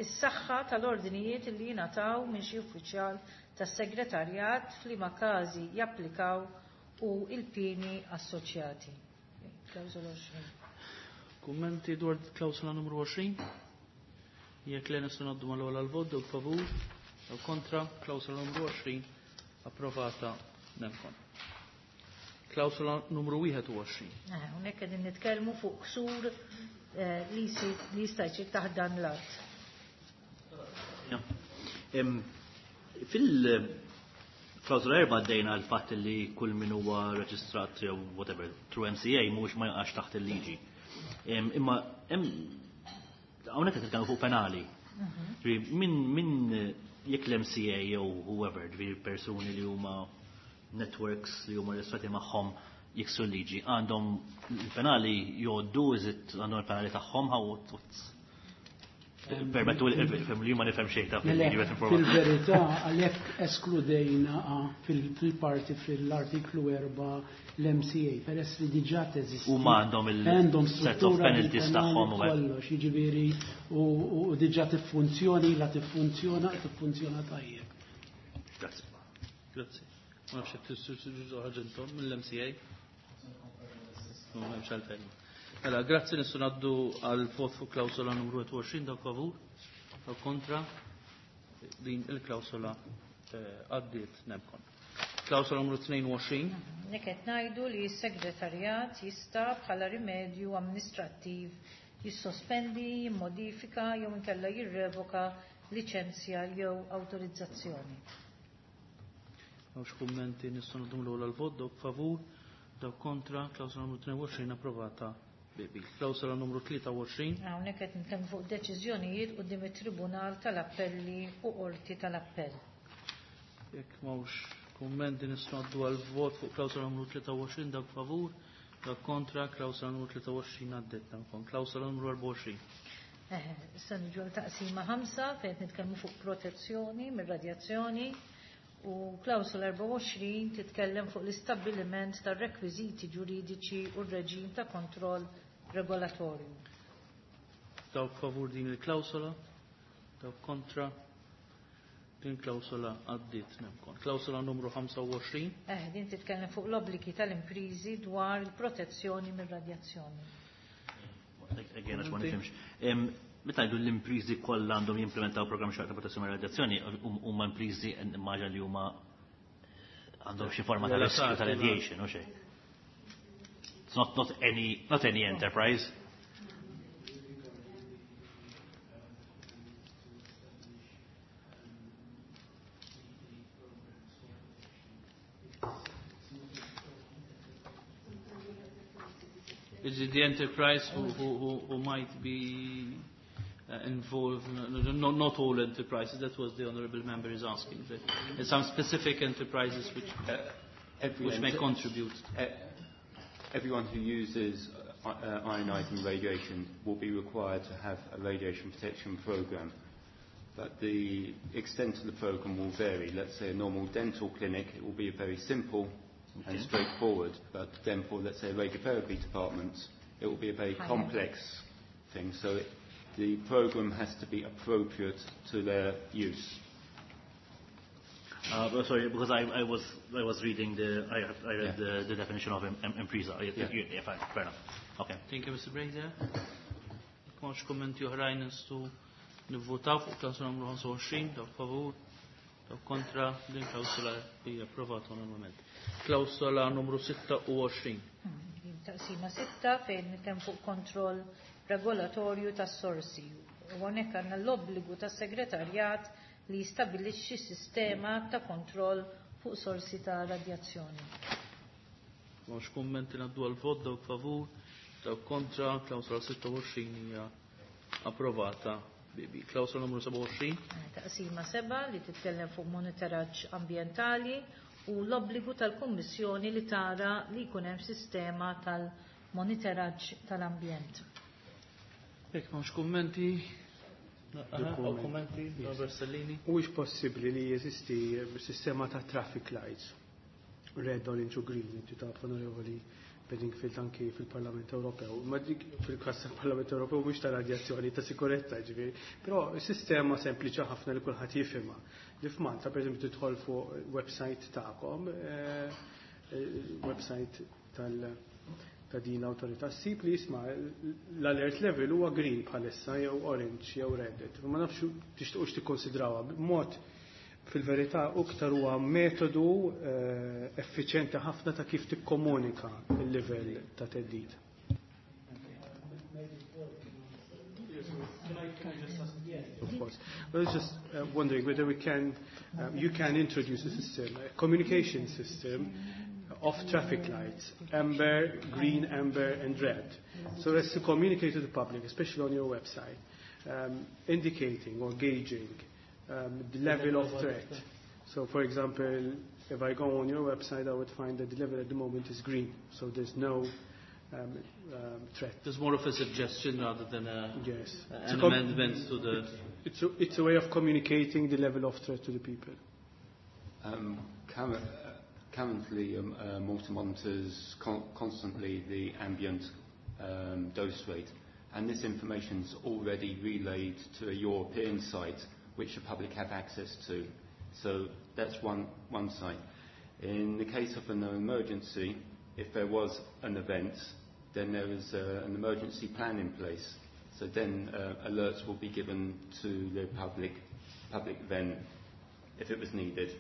[SPEAKER 2] is-saħħa tal-ordinijiet li jingħataw minn xi uffiċjal tas-segretarjat f'liema każi japplikaw u il-pieni assoċjati. Klawsola 20.
[SPEAKER 1] Kummenti dwar klawsola numru 20? Jekk le, nistgħu ngħaddu mal-ewwel għall-vot, dawk favur, dawk kontra, klawsola numru 20 approvata nemkon. Klawsola numru 21.
[SPEAKER 2] Hawnhekk qegħdin nitkellmu fuq ksur li li jista' jsir taħt dan l-att.
[SPEAKER 5] Fil-klawsola 4 għaddejna l-fatt li kull min huwa reġistrat jew whatever through MCA mhuwiex ma jaqax taħt il-liġi. Imma hemm hawnhekk qed nitkellmu fuq penali. Ġifieri, min jekk l-MCA jew whoever, ġifieri persuni li huma networks li huma reġistrati magħhom jiksu l-liġi, għandhom il-penali jgħoddu, is it għandhom il-penali tagħhom, how what's Permettu li ma nifhem xejn ta'
[SPEAKER 4] Le,
[SPEAKER 5] fil-liġi qed informa.
[SPEAKER 4] Fil-verità, għalhekk eskludejna fil-parti fil-artiklu 4 l-MCA, peress li diġà teżisti.
[SPEAKER 5] Huma għandhom il-
[SPEAKER 4] Għandhom
[SPEAKER 5] set of
[SPEAKER 4] struttura
[SPEAKER 5] penalties
[SPEAKER 4] bil-penali
[SPEAKER 5] tagħhom u hekk.
[SPEAKER 4] kollox, jiġifieri u diġà tiffunzjoni, la tiffunzjona, tiffunzjona tajjeb.
[SPEAKER 5] Grazzi.
[SPEAKER 1] Grazzi. Ma nafx jekk tistgħu ħaġa mill-MCA. Ma hemmx għalfejn. Mela, grazzi, nistgħu ngħaddu għal vot fuq klawsola numru 21, dawk favur, dawk kontra, din il-klawsola għaddiet nemkon. Klawsola numru 22.
[SPEAKER 2] Nek qed ngħidu li s-segretarjat jista' bħala rimedju amministrattiv jissospendi, jimmodifika jew inkella jirrevoka liċenzja jew awtorizzazzjoni.
[SPEAKER 1] M'hawnx kummenti, nistgħu ngħaddu l-ewwel għall-vot, dawk favur, dawk kontra, klawsola numru 22 approvata bi. Klawsola numru 23.
[SPEAKER 2] Hawnhekk qed nitkellmu fuq deċiżjonijiet quddiem it-Tribunal tal-Appelli u Qorti tal-Appell.
[SPEAKER 1] Jekk m'hawnx kummenti, nistgħu ngħaddu għall-vot fuq klawsola numru 23, dawk favur, dawk kontra, klawsola numru 23 għaddiet nemkon. Klawsola numru 24.
[SPEAKER 2] Issa niġu għal taqsima 5 fejn qed nitkellmu fuq protezzjoni mir-radjazzjoni u klawsola 24 titkellem fuq l-istabbiliment tar-rekwiżiti ġuridiċi u r-reġim ta' kontroll regolatorju.
[SPEAKER 1] Dawk favur din il-klawsola, dawk kontra, din klawsola għaddiet nemkon. Klawsola numru 25.
[SPEAKER 2] Din titkellem fuq l-obbligi tal-imprizi dwar il-protezzjoni mir-radjazzjoni.
[SPEAKER 5] Again, għax ma nifhimx. Meta ngħidu l-imprizi kollha għandhom jimplementaw programm xorta protezzjoni mir-radjazzjoni, huma imprizi immaġa li huma għandhom xi forma ta' riskju ta' radiation u xejn. It's not any enterprise.
[SPEAKER 1] Is it the enterprise who might be involved? No, no, no, not all enterprises, that was the honourable member is asking. But there's some specific enterprises which may contribute.
[SPEAKER 6] Everyone who uses ionizing radiation will be required to have a radiation protection program. But the extent of the program will vary. Let's say a normal dental clinic, it will be a very simple and straightforward, but then for, let's say, a radiotherapy department, it will be a very complex thing. So the program has to be appropriate to their use.
[SPEAKER 5] Sorry, because I was reading the I read the definition of impriża. Yeah, fine, fair enough. Okay.
[SPEAKER 1] Thank you, Mr. Brazier. M'hawnx kummenti oħrajn, nistgħu nivvotaw fuq klawsola numru 25, dawk favur, dawk kontra, din klawsola hija approvata normalment. Klawsola numru 26.
[SPEAKER 2] Taqsima 6 fejn nitkellem fuq kontroll regolatorju tas-sorsi. U hawnhekk għandna l-obbligu tas-segretarjat li jistabbilixxi sistema ta' kontroll fuq sorsi ta' radjazzjoni.
[SPEAKER 1] M'hawnx kummenti, ngħaddu għal vot, dawk favur, dawk kontra, klawsola 26 hija approvata. Bibi. Klawsola numru 27.
[SPEAKER 2] Taqsima 7 li titkellem fuq monitoraġġ ambjentali u l-obbligu tal-Kummissjoni li tara li jkun hemm sistema tal-monitoraġġ tal-ambjent.
[SPEAKER 1] Jekk m'hawnx kummenti, kummenti, Robert Stellini.
[SPEAKER 3] Huwiex possibbli li jeżisti sistema ta' traffic lights, red, orange u green, inti taf, Onorevoli Bedingfield, anki fil-Parlament Ewropew. Ma dik fil-kas tal-Parlament Ewropew mhux ta' radjazzjoni, ta' sikurezza ġifieri, però sistema sempliċi ħafna li kulħadd jifhimha. Li f'Malta, pereżempju, tidħol fuq website tagħkom, website ta' din l-awtorità, ssib li jisma' l-alert level huwa green bħalissa jew orange jew red. Ma nafx tixtuqx tikkonsidrawha b'mod, fil-verità iktar huwa metodu effiċjenti ħafna ta' kif tikkomunika il-livell ta' theddid. Of course. I was just wondering whether you can introduce a system, a communication system of traffic lights, amber, green, amber, and red. So as to communicate to the public, especially on your website, indicating or gauging the level of threat. So, for example, if I go on your website, I would find that the level at the moment is green, so there's no threat.
[SPEAKER 1] There's more of a suggestion rather than an amendment to the...
[SPEAKER 3] It's a way of communicating the level of threat to the people.
[SPEAKER 6] Currently, Malta monitors constantly the ambient dose rate, and this information is already relayed to a European site, which the public have access to. So that's one site. In the case of an emergency, if there was an event, then there is an emergency plan in place. So then alerts will be given to the public then, if it was needed.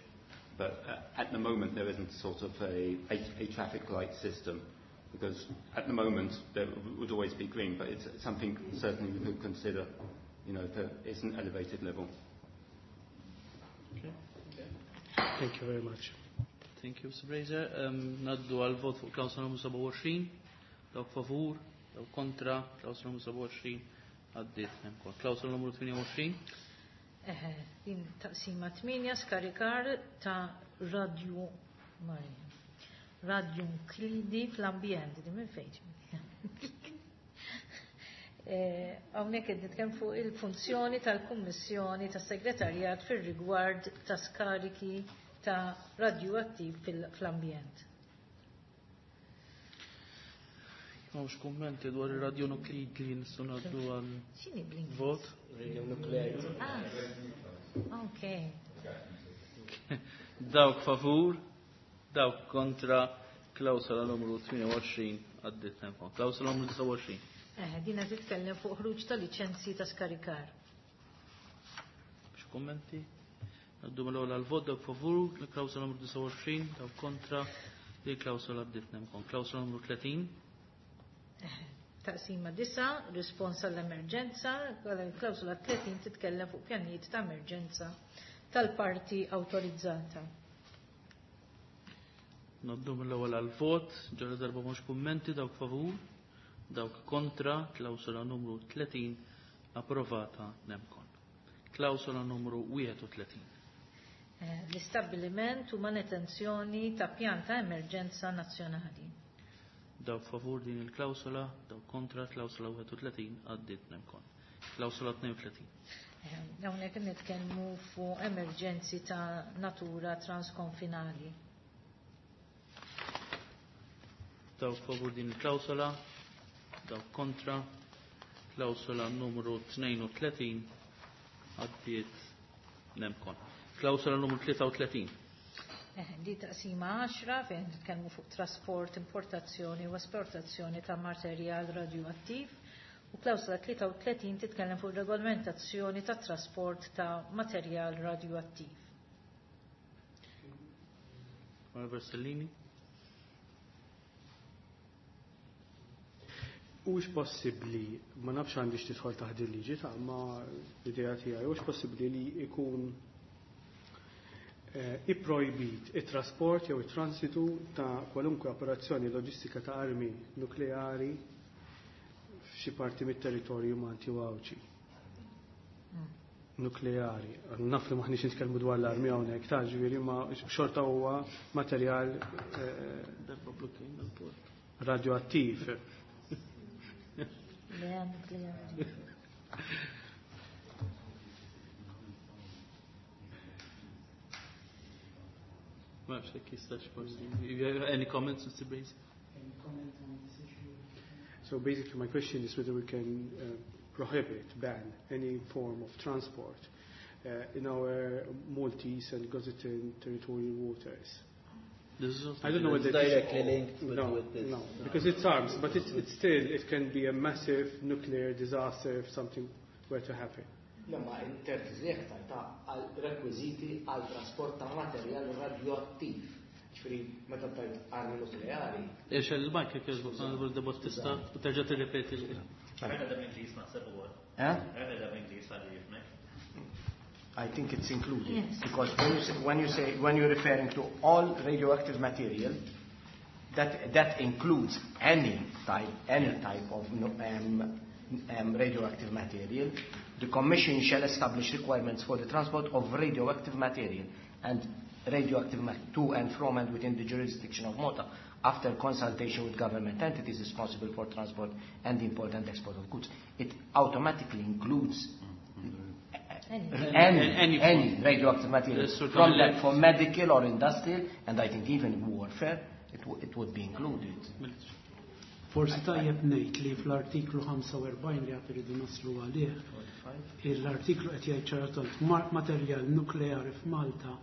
[SPEAKER 6] But at the moment there isn't sort of a traffic light system, because at the moment there would always be green, but it's something certainly we could consider, if there is an elevated level.
[SPEAKER 1] Okay.
[SPEAKER 3] Thank you very much.
[SPEAKER 1] Thank you, Mr. Brazier. Ngħaddu għal vot fuq klawsola numru 27. Dawk favur, dawk kontra, klawsola numru 27 għaddiet ukoll. Klawsola numru 28.
[SPEAKER 2] Din taqsima 8, skarikar ta' radio Maria. Radionuklidi fl-ambjent, din minn fejn? Hawnhekk qed nitkellem fuq il-funzjoni tal-Kummissjoni tas-Segretarjat fir-rigward ta' skariki ta' radioattiv fl-ambjent.
[SPEAKER 1] M'hawnx kummenti dwar ir-radionuklidi li nistgħu ngħaddu għal
[SPEAKER 2] X'inhi bl-Ingliż?
[SPEAKER 1] vot?
[SPEAKER 7] Radionuclide.
[SPEAKER 2] Ah, ok.
[SPEAKER 1] Dawk favur, dawk kontra, klawsola numru 28 għaddiet ukoll. Klawsola numru 29.
[SPEAKER 2] Dina titkellem fuq ħruġ ta' liċenzji ta' skarikar.
[SPEAKER 1] Xi kummenti? Ngħaddu mill-ewwel għall-vot, dawk favur, klawsola numru 29, dawk kontra, li klawsola għaddiet ukoll. Klawsola numru 30.
[SPEAKER 2] Taqsima 9, rispons għall-emerġenza, klawsola 30 titkellem fuq pjanijiet ta' emerġenza tal-parti awtorizzata.
[SPEAKER 1] Ngħaddu mill-ewwel għall-vot, ġara darba mhux kummenti, dawk favur, dawk kontra, klawsola numru 30 approvata nemkon. Klawsola numru 31.
[SPEAKER 2] L-istabbiliment u manutenzjoni ta' pjan ta' emerġenza nazzjonali.
[SPEAKER 1] Dawk favur din il-klawsola, dawk kontra, klawsola 31 għaddiet nemkon. Klawsola 32.
[SPEAKER 2] Hawnhekk nitkellmu fuq emerġenzi ta' natura transkonfinali.
[SPEAKER 1] Dawk favur din il-klawsola, dawk kontra, klawsola numru 32 għaddiet nemkon. Klawsola numru 33.
[SPEAKER 2] Di taqsima 10 fejn nitkellmu fuq trasport, importazzjoni u esportazzjoni ta' materjal radioattiv u klawsola 33 titkellem fuq regolamentazzjoni ta' trasport ta' materjal radioattiv.
[SPEAKER 1] Onorevole
[SPEAKER 3] Hux possibbli, ma nafx għandix tidħol taħt il-liġi ta' ma l-idea tiegħi, hux possibbli li jkun ipprojbit it-trasport jew it-transitu ta' kwalunkwe operazzjoni loġistika ta' armi nukleari f'xi parti mit-territorju Malti u Għawdxi. Nukleari. Naf li maħniex nitkellmu dwar l-armi hawnhekk ta' ġifieri ma xorta huwa materjal radioattiv.
[SPEAKER 2] Le nukleari.
[SPEAKER 1] Ma nafx jekk jistax forsi. You have any comments, Mr. Bracy?
[SPEAKER 4] Any comment on this issue?
[SPEAKER 3] So basically my question is whether we can prohibit, ban any form of transport in our Maltese and Gozitan territorial waters.
[SPEAKER 1] This is
[SPEAKER 3] I don't know whether
[SPEAKER 1] directly linked with,
[SPEAKER 3] no,
[SPEAKER 1] with this.
[SPEAKER 3] No, because it's arms, but it's still, it can be a massive nuclear disaster if something were to happen.
[SPEAKER 7] Le, ma intertiżi aktar ta' għal rekwiżiti għal trasport ta' materjal radioattiv. Ġifieri meta tajt armi nukleari.
[SPEAKER 1] Ix il-mic jekk jogħġbok, Onorevole De Battista, u terġa' tirrepeti l-
[SPEAKER 5] Għedha bl-Ingliż naħseb ukoll.
[SPEAKER 7] Eh?
[SPEAKER 5] Għedha bl-Ingliż għalli jifmek.
[SPEAKER 7] I think it's included.
[SPEAKER 2] Yes.
[SPEAKER 7] Because when you're referring to all radioactive material, that includes any type of radioactive material. The Commission shall establish requirements for the transport of radioactive material and radioactive to and from and within the jurisdiction of Malta after consultation with government entities responsible for transport and import and export of goods. It automatically includes
[SPEAKER 2] Any.
[SPEAKER 7] any radioactive material,
[SPEAKER 1] Yes, sir,
[SPEAKER 7] from
[SPEAKER 1] Camille.
[SPEAKER 7] that, for medical or industrial, and I think even warfare, it would be included.
[SPEAKER 4] Forsi tajjeb ngħid li fl-artiklu 45 li għad iridu naslu għalih, l-artiklu qed jgħid ċaratant materjal nukleari f'Malta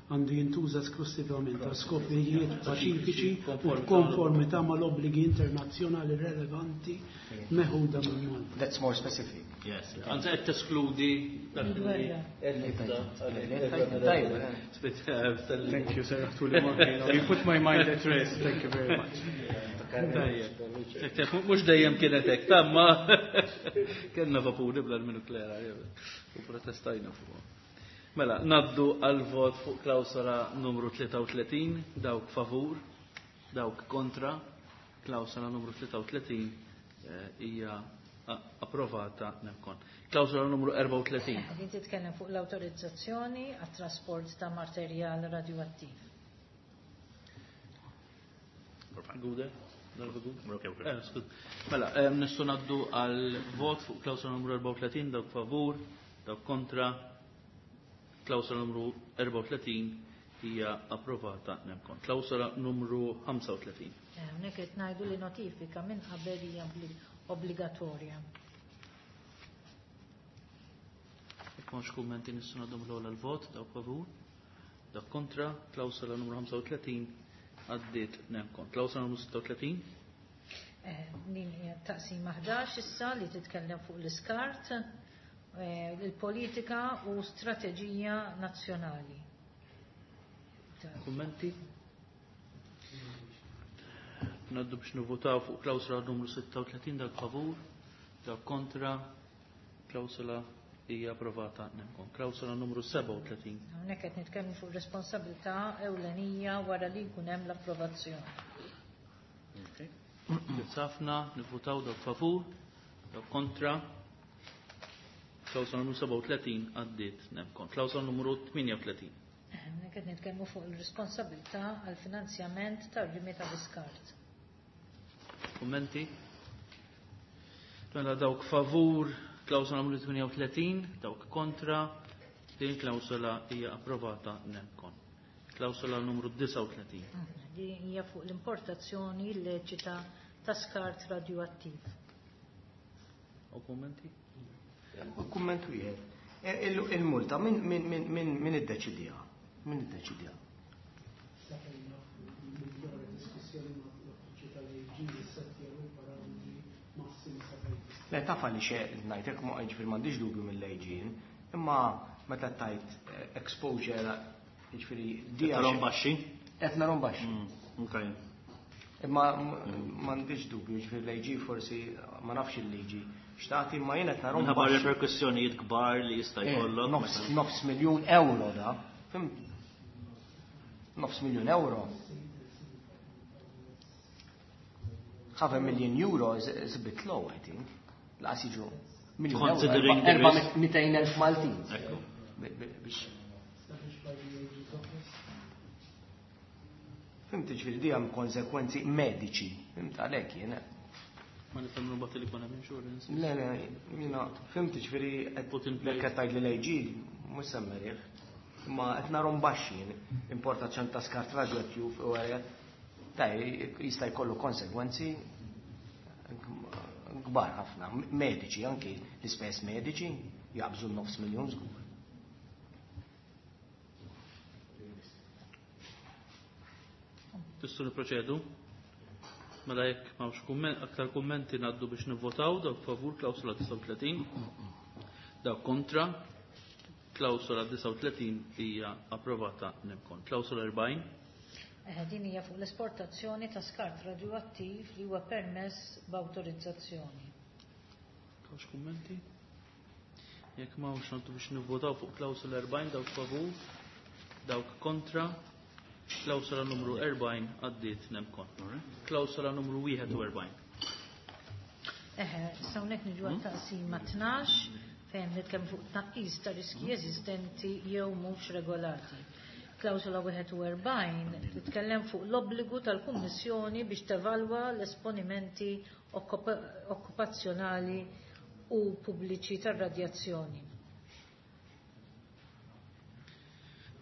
[SPEAKER 4] għandu jintuża esklusivament għal skopijiet paċifiċi u f'konformità mal-obbligi internazzjonali relevanti meħuda minn Malta.
[SPEAKER 7] That's more specific.
[SPEAKER 5] Yes.
[SPEAKER 1] Anzi qed teskludi dak li
[SPEAKER 3] Thank you, sir. You put my mind at rest. Thank you very much.
[SPEAKER 1] Tajjeb. Mhux dejjem kienet hekk, tamma kellna vapuri bl-armi nukleari u protestajna fuq. Mela, naddu għal vot fuq klawsola numru 33, dawk favur, dawk kontra, klawsola numru 33 hija approvata nemkon. Klawsola numru 34.
[SPEAKER 2] Qegħdin titkellem fuq l-awtorizzazzjoni għat-trasport ta' materjal radioattiv.
[SPEAKER 1] Gude? Darba Gude?
[SPEAKER 5] Okay, okay.
[SPEAKER 1] Skud. Mela, nistgħu ngħaddu għal vot fuq klawsola numru 34, dawk favur, dawk kontra. Klawsola numru 34 hija approvata nemkon. Klawsola numru 35.
[SPEAKER 2] Hawnhekk qed ngħidu li notifika minn qabel hija obbligatorja.
[SPEAKER 1] Jekk m'hawnx kummenti nistgħu ngħaddu mill-ewwel għall-vot, dawk favur, dawk kontra, klawsola numru 35 għaddiet nemkon. Klawsola numru 36.
[SPEAKER 2] Din hija taqsima 11 issa li titkellem fuq l-iskart, il-politika u strateġija nazzjonali.
[SPEAKER 1] Kummenti? Naddu biex nivvotaw fuq klawsola numru 36, dak favur, dak kontra, klawsola hija approvata nemkon. Klawsola numru 37.
[SPEAKER 2] Hawnhekk qed nitkellmu fuq responsabilità ewlenija wara li jkun hemm l-approvazzjoni.
[SPEAKER 1] Okay. Ħafna, nivvotaw dak favur, dak kontra. Klawsola numru 37 għaddiet nemkon. Klawsola numru 38.
[SPEAKER 2] Hawnhekk qed nitkellmu fuq il-responsabilità għall finanzjament tar-rimi tal-iskart.
[SPEAKER 1] Kummenti? Mela dawk favur klawsola numru 38, dawk kontra, din klawsola hija approvata nemkon. Klawsola numru 39.
[SPEAKER 2] Din hija fuq l-importazzjoni illeċita ta' skart radioattiv.
[SPEAKER 1] U kummenti?
[SPEAKER 7] Kumment wieħed. Il-multa min iddeċidiha? Min iddeċidiha? Le taf għaliex ngħidlek ma jiġifieri m'għandix dubju mill-AG, imma meta tajt exposure jiġifieri
[SPEAKER 5] di. Qed baxxi?
[SPEAKER 7] Qed narhom baxxi. Imma m'għandix dubju, jiġifieri l-AG forsi ma nafx il-liġi x'tagħti, imma jien qed narhom.
[SPEAKER 5] Minħabba reperkussjonijiet kbar li jista' jkollok.
[SPEAKER 7] Nofs miljun euro da. Fhimt? Nofs miljun euro. Half a million euro is a bit low, I think. Laqas jiġu miljun euro.
[SPEAKER 5] Considering the risk.
[SPEAKER 7] 200,000 Maltin.
[SPEAKER 5] Ekku.
[SPEAKER 7] Biex. Fhimt, ġifieri di hemm konsekwenzi mediċi. Fhimt, għalhekk jien.
[SPEAKER 1] Ma nifhem mbagħad li jkun hemm insurance.
[SPEAKER 7] Le, jiena fhimt, ġifieri qed
[SPEAKER 1] Put in place.
[SPEAKER 7] qed tgħid li l-AG mhux semmerih. Imma qed narhom baxxi importazzjoni ta' skart radioattiv u ta' jista' jkollu konsegwenzi kbar ħafna, mediċi, anki l-ispejjeż mediċi jaqbżu nofs miljun żgur.
[SPEAKER 1] Tistgħu nipproċedu? Mela jekk m'hawnx aktar kummenti ngħaddu biex nivvotaw. Dawk favur klawsola 39, dawk kontra. Klawsola 39 hija approvata nemkon. Klawsola 40.
[SPEAKER 2] Din hija fuq l-esportazzjoni ta' skart radioattiv li huwa permess b'awtorizzazzjoni.
[SPEAKER 1] Hawnx kummenti? Jekk m'hawnx ngħaddu biex nivvotaw fuq klawsola 40. Dawk favur, dawk kontra. Klawsola numru 40 għaddiet nemkon. Klawsola numru 41.
[SPEAKER 2] Eħe, hawnhekk niġu għat-taqsima 12 fejn nitkellmu fuq tnaqqis ta' riski eżistenti jew mhux regolati. Klawsola 41 titkellem fuq l-obbligu tal-Kummissjoni biex tevalwa l-esponimenti okkupazzjonali u pubbliċi tar-radjazzjoni.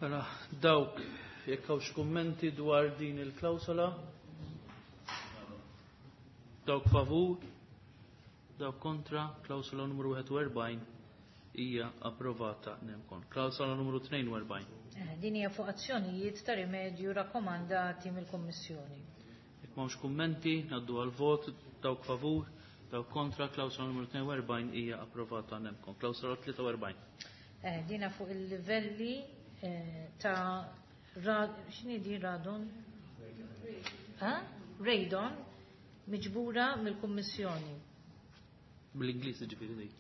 [SPEAKER 1] Mela, dawk jekk hawnx kummenti dwar din il-klawsola? Dawk favur, dawk kontra, klawsola numru 41 hija approvata nemkon. Klawsola numru 42.
[SPEAKER 2] Din hija fuq azzjonijiet ta' rimedju rakkomandati mill-Kummissjoni.
[SPEAKER 1] Jekk m'hawnx kummenti, ngħaddu għal vot, dawk favur, dawk kontra, klawsola numru 42 hija approvata nemkon. Klawsola 43.
[SPEAKER 2] Dina fuq il-livelli ta' x'inhi di radon? Ha? Radon miġbura mill-Kummissjoni.
[SPEAKER 1] Bl-Ingliż ġifieri dik.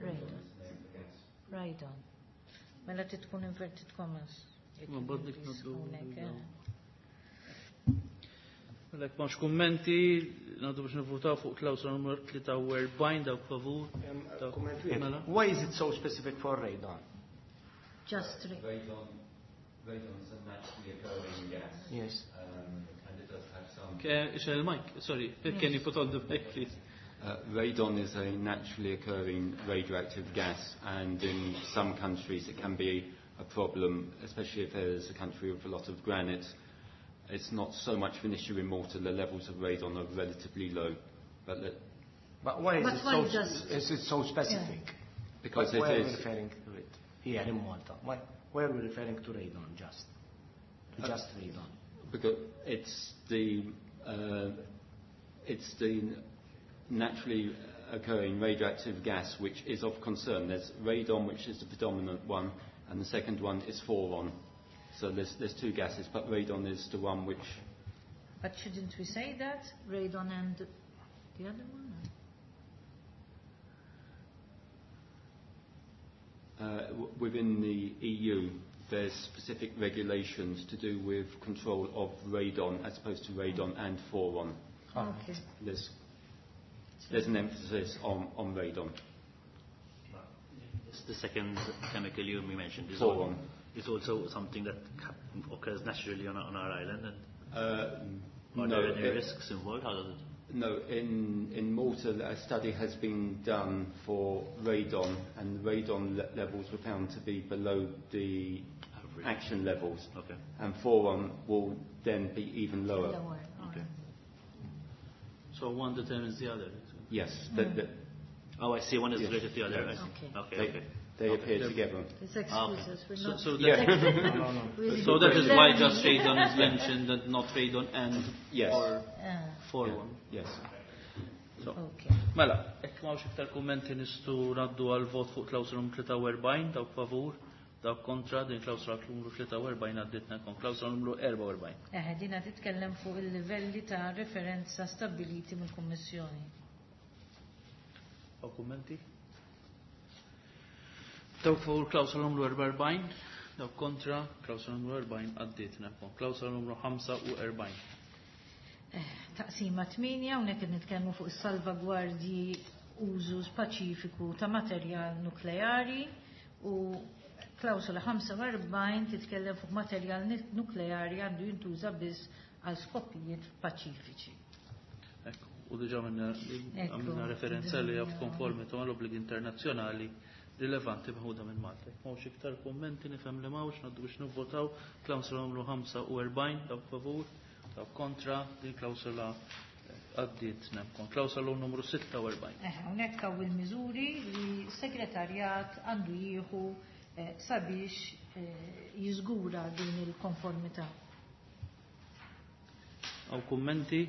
[SPEAKER 2] Radon. Radon. Mela trid tkun inverted commas.
[SPEAKER 1] Ma badnik
[SPEAKER 2] Ingliż
[SPEAKER 1] ngħaddu.
[SPEAKER 2] hawnhekk, eh.
[SPEAKER 1] Mela jekk m'hawnx kummenti, ngħaddu biex nivvutaw fuq klawsola numru 43. Dawk favur.
[SPEAKER 7] Kumment wieħed.
[SPEAKER 1] Mela.
[SPEAKER 7] Why is it so specific for radon?
[SPEAKER 2] Just
[SPEAKER 6] Radon is a naturally occurring gas.
[SPEAKER 7] Yes.
[SPEAKER 6] And it does have some.
[SPEAKER 1] Ixgħel il-mic, sorry. Can you put on the mic, please?
[SPEAKER 6] Radon is a naturally occurring radioactive gas, and in some countries it can be a problem, especially if there's a country with a lot of granite. It's not so much of an issue in Malta. The levels of radon are relatively low. But,
[SPEAKER 7] But why is
[SPEAKER 2] But
[SPEAKER 7] it
[SPEAKER 2] why
[SPEAKER 7] so
[SPEAKER 2] does
[SPEAKER 7] is it so specific?
[SPEAKER 2] Yeah.
[SPEAKER 6] Because
[SPEAKER 7] Why
[SPEAKER 6] it
[SPEAKER 7] are we
[SPEAKER 6] is.
[SPEAKER 7] referring to it here in Malta? Why are we referring to radon just? To just radon?
[SPEAKER 6] Because it's the naturally occurring radioactive gas which is of concern. There's radon, which is the predominant one, and the second one is thoron. So there's two gases, but radon is the one which...
[SPEAKER 2] But shouldn't we say that? Radon and the other one?
[SPEAKER 6] Within the EU, there's specific regulations to do with control of radon as opposed to radon and thoron.
[SPEAKER 2] Okay.
[SPEAKER 6] There's an emphasis on radon.
[SPEAKER 5] It's the second chemical you mentioned. Is
[SPEAKER 6] Thoron.
[SPEAKER 5] also something that occurs naturally on our island. And are
[SPEAKER 6] No,
[SPEAKER 5] there any
[SPEAKER 6] it
[SPEAKER 5] risks involved? How does it?
[SPEAKER 6] No, in Malta a study has been done for radon, and the radon levels were found to be below the action levels.
[SPEAKER 5] Okay.
[SPEAKER 6] And 4-1 will then be even lower.
[SPEAKER 2] Lower.
[SPEAKER 5] Okay.
[SPEAKER 1] So one determines the other.
[SPEAKER 6] Yes.
[SPEAKER 5] Oh, I see. One is
[SPEAKER 6] Yes.
[SPEAKER 5] related to the other. I see.
[SPEAKER 2] Okay.
[SPEAKER 5] Okay.
[SPEAKER 6] They,
[SPEAKER 5] okay.
[SPEAKER 6] they appear together.
[SPEAKER 2] It's excuses. We're
[SPEAKER 1] So,
[SPEAKER 2] not.
[SPEAKER 1] so,
[SPEAKER 6] Yeah.
[SPEAKER 1] that,
[SPEAKER 2] Really
[SPEAKER 1] so that is why
[SPEAKER 2] learning.
[SPEAKER 1] just radon is mentioned and not radon and
[SPEAKER 6] Yes.
[SPEAKER 1] or
[SPEAKER 2] Ah,
[SPEAKER 1] 4-1.
[SPEAKER 6] Yes.
[SPEAKER 1] So,
[SPEAKER 2] okay.
[SPEAKER 1] Mela, jekk m'hawnx iktar kummenti nistgħu ngħaddu għal vot fuq klawsula numru 43, dawk favur, dawk kontra, din klawsula numru 43 għadditna kon klawsula numru 44.
[SPEAKER 2] Eħe, dina titkellem fuq il-livelli ta' referenza stabiliti mill-Kummissjoni.
[SPEAKER 1] Hawn kummenti? Dawk favur klawsula numru 44, dawk kontra, klawsula numru 40 għadditna kon klawsula numru 45.
[SPEAKER 2] Taqsima 8, hawnhekk qed nitkellmu fuq is-salvagwardji użu speċifiku ta' materjal nukleari u klawsola 45 titkellem fuq materjal nukleari għandu jintuża biss għal skopijiet paċifiċi.
[SPEAKER 1] Ekku, u diġa
[SPEAKER 2] Ekku.
[SPEAKER 1] għamilna referenza li għaf konformità mal-obbligi internazzjonali rilevanti meħuda minn Malta. Jekk M'hawnx iktar kummenti nifhem li m'hawnx ngħaddu biex nivvotaw klawsola numru 45 dawk favur, dawk kontra, din klawsola għaddiet nemkon. Klawsola numru 46.
[SPEAKER 2] Eh, hawnhekk hawn il-miżuri li s-segretarjat għandu jieħu sabiex jiżgura din il-konformità.
[SPEAKER 1] Hawn kummenti?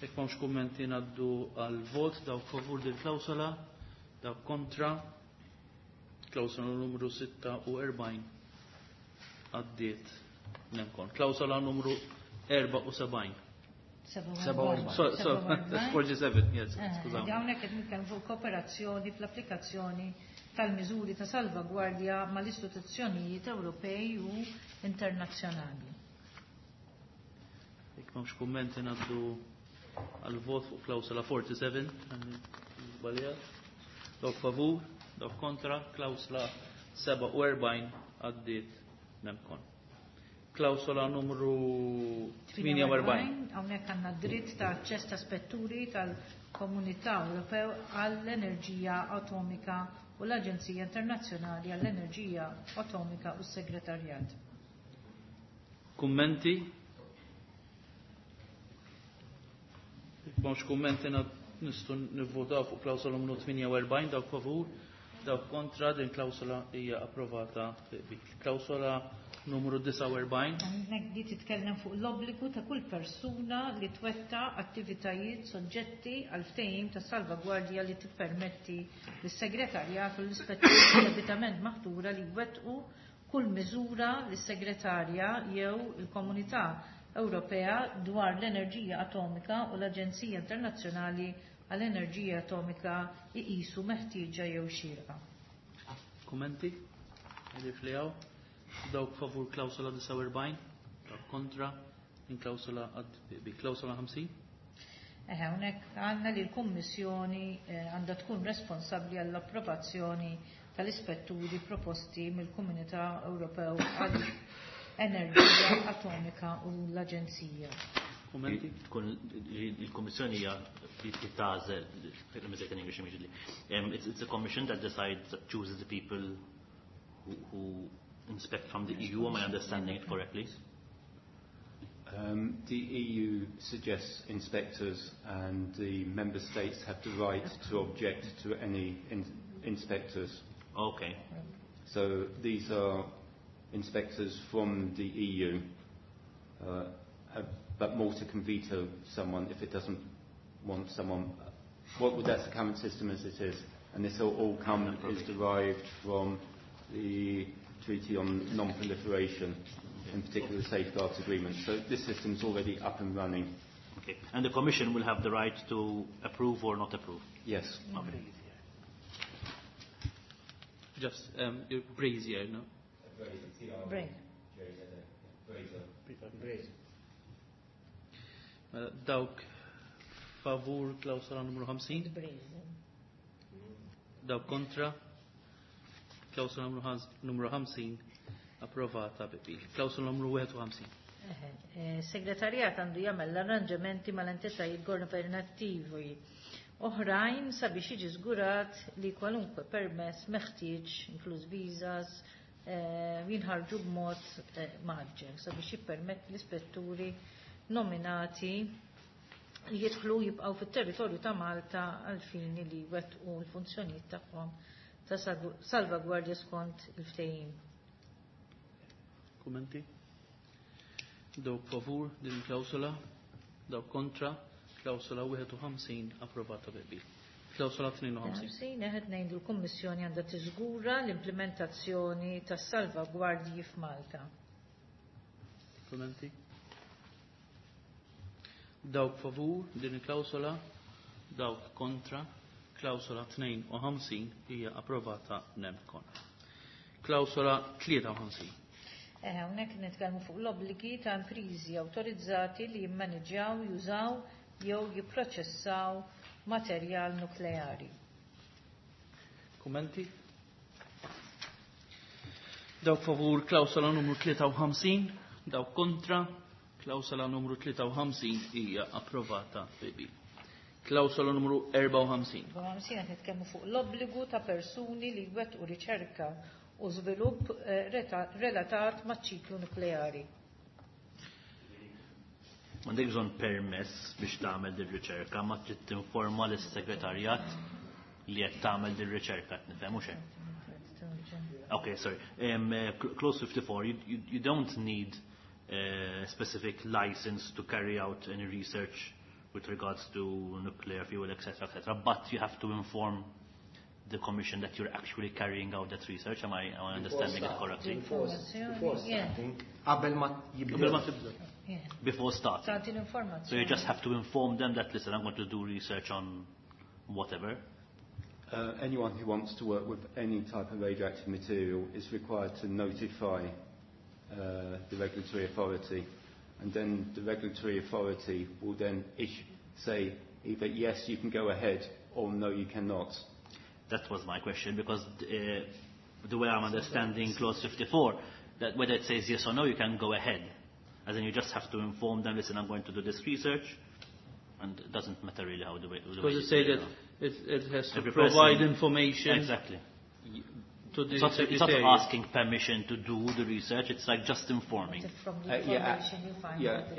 [SPEAKER 1] Jekk m'hawnx kummenti ngħaddu għal vot dawk favur din klawsola, dawk kontra, klawsola numru 46 għaddiet nemkon. Klawsola numru 74.
[SPEAKER 2] 47.
[SPEAKER 1] So, so, 47, yes, skużawni.
[SPEAKER 2] Hawnhekk qed nitkellmu fuq kooperazzjoni fl-applikazzjoni tal-miżuri ta' salvagwardja mal-istituzzjonijiet Ewropej u internazzjonali.
[SPEAKER 1] Jekk m'hawnx kummenti ngħaddu għal vot fuq klawsola 47, żbaljat. Dawk favur, dawk kontra, klawsola 47 għaddiet nemkon. Klawsola numru 48.
[SPEAKER 2] Hawnhekk għandna dritt ta' aċċess ta' spetturi tal-Komunità Ewropew għall-Enerġija Atomika u l-Aġenzija Internazzjonali għall-Enerġija Atomika u s-Segretarjat.
[SPEAKER 1] Kummenti? Jekk m'hawnx kummenti nistgħu nivvotaw fuq klawsola numru 48 dawk favur, dawk kontra, din klawsola hija approvata bi. Klawsola numru 49.
[SPEAKER 2] Hawnhekk di titkellem fuq l-obbligu ta' kull persuna li twetta attivitajiet soġġetti għal ftehim ta' salvagwardja li tippermetti lis-segretarjat u l-ispetturi debitament maħtura li jwettqu kull miżura lis-segretarja jew il-Komunità Ewropea dwar l-enerġija atomika u l-Aġenzija Internazzjonali għall-Enerġija Atomika iqisu meħtieġa jew xierqa.
[SPEAKER 1] Kummenti? Għalif li hawn? Dawk favur klawsola 49, dawk kontra, din klawsola bi klawsola 50.
[SPEAKER 2] Eħe, hawnhekk għandna li l-Kummissjoni għandha tkun responsabbli għall-approvazzjoni tal-ispetturi proposti mill-Komunità Ewropew għall-Enerġija Atomika u l-Aġenzija.
[SPEAKER 1] Kummenti?
[SPEAKER 5] Tkun il-Kummissjoni hija li tagħżel, let me say it in English immediately. It's a commission that decides, that chooses the people who inspect from the EU. Am I understanding it correctly?
[SPEAKER 6] The EU suggests inspectors, and the member states have the right to object to any inspectors.
[SPEAKER 5] Okay.
[SPEAKER 6] So these are inspectors from the EU, but Malta can veto someone if it doesn't want someone. That's the current system as it is, and this all is derived from the Treaty on Non-Proliferation, in particular the Safeguards Agreement. So this system's already up and running.
[SPEAKER 5] Okay. And the Commission will have the right to approve or not approve?
[SPEAKER 6] Yes.
[SPEAKER 5] Okay.
[SPEAKER 1] Just your brazier, no?
[SPEAKER 2] Brazier.
[SPEAKER 7] Brazier.
[SPEAKER 1] Mela, dawk favur klawsola numru 50?
[SPEAKER 2] Brazier.
[SPEAKER 1] Dawk kontra? Klawsola numru 50 approvata bi. Klawsola numru 51.
[SPEAKER 2] Segretarjat għandu jagħmel l-arranġamenti mal-entitajiet governattivi oħrajn sabiex jiġi żgurat li kwalunkwe permess meħtieġ, inkluż visas, jinħarġu b'mod mgħaġġel sabiex jippermett l-ispetturi nominati li jidħlu jibqgħu fit-territorju ta' Malta għal fini li jwettqu l-funzjonijiet tagħhom ta' salvagwardja skont il-ftehim.
[SPEAKER 1] Kummenti? Dawk favur din il-klawsola, dawk kontra, klawsola 51 approvata bi qbil. Klawsola 52.
[SPEAKER 2] Sin qed ngħidu l-Kummissjoni għandha tiżgura l-implementazzjoni tas-salvagwardji f'Malta.
[SPEAKER 1] Kummenti? Dawk favur din il-klawsola, dawk kontra, klawsola 52 hija approvata nemkon. Klawsola 53.
[SPEAKER 2] Hawnhekk nitkellmu fuq l-obbligi ta' imprizi awtorizzati li jimmaniġġjaw, jużaw jew jipproċessaw materjal nukleari.
[SPEAKER 1] Kummenti? Dawk favur klawsola numru 53, dawk kontra, klawsola numru 53 hija approvata bi qbil. Klawsola numru 54.
[SPEAKER 2] 54 qed nitkellmu fuq l-obbligu ta' persuni li jwettqu riċerka u żvilupp relatat maċ-ċiklu nukleari.
[SPEAKER 5] M'għandek bżonn permess biex tagħmel din riċerka, ma trid tinforma lis-segretarjat li qed tagħmel din riċerka, qed nifhem hux hekk? Okay, sorry. Clause 54, you don't need a specific license to carry out any research with regards to nuclear fuel, etc., etc., but you have to inform the Commission that you're actually carrying out that research. Am I understanding it correctly?
[SPEAKER 7] Before starting. Qabel ma jibdew.
[SPEAKER 1] Qabel ma tibda.
[SPEAKER 5] Before starting.
[SPEAKER 2] Tagħti l-informazzjoni.
[SPEAKER 5] So you just have to inform them that, listen, I'm going to do research on whatever.
[SPEAKER 6] Anyone who wants to work with any type of radioactive material is required to notify the regulatory authority, and then the regulatory authority will then say either yes, you can go ahead, or no, you cannot.
[SPEAKER 5] That was my question, because the way I'm understanding Clause 54, that whether it says yes or no, you can go ahead. As in, you just have to inform them, listen, I'm going to do this research, and it doesn't matter really how the
[SPEAKER 1] Because
[SPEAKER 5] way
[SPEAKER 1] it say
[SPEAKER 5] you
[SPEAKER 1] that
[SPEAKER 5] know.
[SPEAKER 1] it has to
[SPEAKER 5] Every
[SPEAKER 1] provide
[SPEAKER 5] person.
[SPEAKER 1] information
[SPEAKER 5] Exactly.
[SPEAKER 1] to the
[SPEAKER 5] It's not
[SPEAKER 1] secretary.
[SPEAKER 5] asking permission to do the research, it's like just informing.
[SPEAKER 2] From the information you find out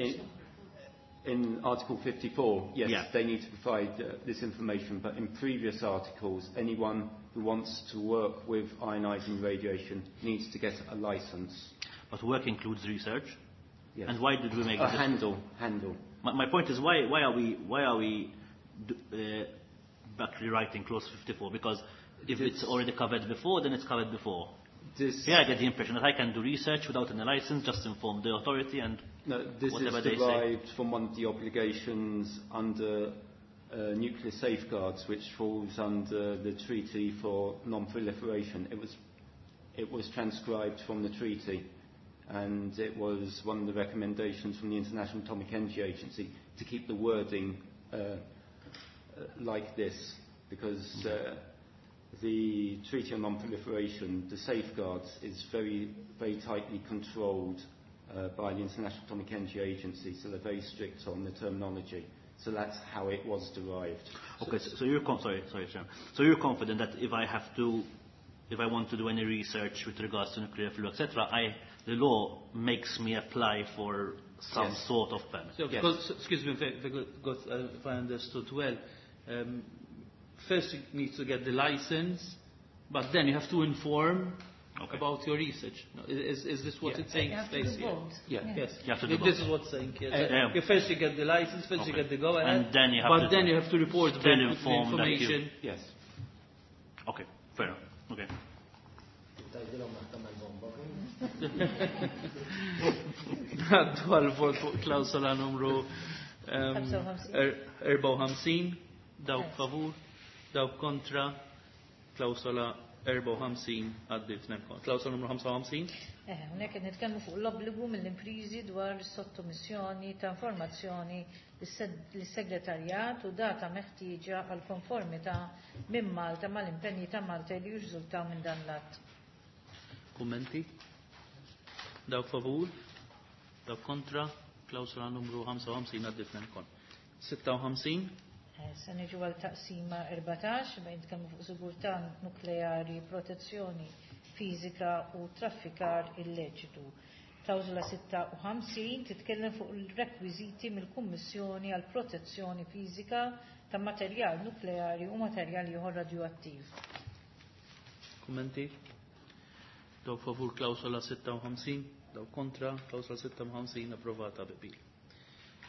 [SPEAKER 6] In Article 54, yes, they need to provide this information, but in previous articles, anyone who wants to work with ionizing radiation needs to get a license.
[SPEAKER 5] But work includes research?
[SPEAKER 6] Yes.
[SPEAKER 5] And why did we make this?
[SPEAKER 6] Handle.
[SPEAKER 5] My point is, why are we actually writing Clause 54? Because if it's already covered before, then it's covered before.
[SPEAKER 6] This
[SPEAKER 5] Here I get the impression that I can do research without any license, just inform the authority and
[SPEAKER 6] No, this
[SPEAKER 5] whatever
[SPEAKER 6] is
[SPEAKER 5] they say.
[SPEAKER 6] derived from one of the obligations under nuclear safeguards, which falls under the Treaty for Non-Proliferation. It was transcribed from the treaty, and it was one of the recommendations from the International Atomic Energy Agency to keep the wording like this, because the Treaty on Non-Proliferation, the safeguards, is very, very tightly controlled by the International Atomic Energy Agency, so they're very strict on the terminology. So that's how it was derived.
[SPEAKER 5] Okay, so you're sorry, sorry, Chair. So you're confident that if I have to, if I want to do any research with regards to nuclear fuel, etc., the law makes me apply for some
[SPEAKER 6] Yes.
[SPEAKER 5] sort of permit.
[SPEAKER 1] So,
[SPEAKER 6] Yes.
[SPEAKER 1] because, excuse me, if I understood well, first you need to get the license, but then you have to inform about your research. No, is this what
[SPEAKER 6] Yeah.
[SPEAKER 1] it's saying?
[SPEAKER 2] You have to do
[SPEAKER 1] Stays here?
[SPEAKER 2] both.
[SPEAKER 6] Yeah.
[SPEAKER 2] Yeah.
[SPEAKER 1] Yes.
[SPEAKER 5] You have to do
[SPEAKER 1] This
[SPEAKER 5] both.
[SPEAKER 1] is what's saying here.
[SPEAKER 5] Yeah.
[SPEAKER 1] You first you get the license, first you
[SPEAKER 5] Okay.
[SPEAKER 1] get the go ahead,
[SPEAKER 5] And then you have
[SPEAKER 1] but
[SPEAKER 5] to
[SPEAKER 1] then you have to report
[SPEAKER 5] still
[SPEAKER 1] back with the
[SPEAKER 5] inform that you
[SPEAKER 1] information.
[SPEAKER 6] Yes.
[SPEAKER 5] Okay, fair enough. Okay.
[SPEAKER 7] Tgħidilhom ma tagħmel bomba.
[SPEAKER 1] Ngħaddu għal-vot fuq klawsola numru
[SPEAKER 2] 55.
[SPEAKER 1] 54, dawk favur, dawk kontra, klawsola 54 għaddiet nemkon. Klawsola numru 55?
[SPEAKER 2] Hawnhekk qed nitkellmu fuq l-obbligu mill-imprizi dwar sottomissjoni ta' informazzjoni lis-segretarjat u data meħtieġa għal konformità minn Malta mal-impenji ta' Malta li jirriżultaw minn dan l-att.
[SPEAKER 1] Kummenti? Dawk favur? Dawk kontra? Klawsola numru 55 għaddiet nemkon. 56?
[SPEAKER 2] Se niġu għal taqsima 14 bejn nitkellmu fuq sigurtà nukleari, protezzjoni fiżika u traffikar illeċitu. Klawżola 56 titkellem fuq il-rekwiżiti mill-Kummissjoni għal protezzjoni fiżika ta' materjal nukleari u materjal ieħor radioattiv.
[SPEAKER 1] Kummenti? Dawk favur klawsola 56, dawk kontra, klawsola 56 approvata bi qbil.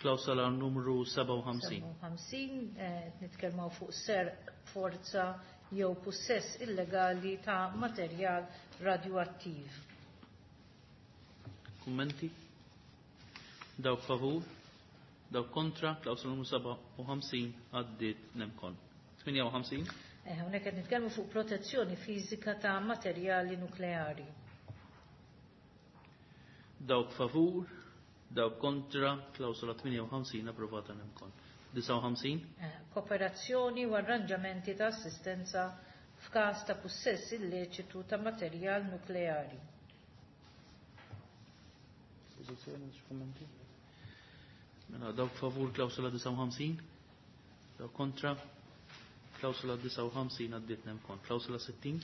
[SPEAKER 1] Klawsola numru 57.
[SPEAKER 2] 57 nitkellmu fuq serq, forza jew pussess illegali ta' materjal radioattiv.
[SPEAKER 1] Kummenti? Dawk favur? Dawk kontra? Klawsola numru 57 għaddiet nem kon. 58?
[SPEAKER 2] Hawnhekk qed nitkellmu fuq protezzjoni fiżika ta' materjali nukleari.
[SPEAKER 1] Dawk favur? Dawk kontra? Klawsola 58 approvata nem kon. 59?
[SPEAKER 2] Kooperazzjoni u arranġamenti ta' assistenza f'każ ta' pussess illeċitu ta' materjal nukleari.
[SPEAKER 1] Pożizzjoni, xi kummenti? Mela, dawk favur klawsola 59? Dawk kontra? Klawsola 59 għaddiet nem kon. Klawsola 60?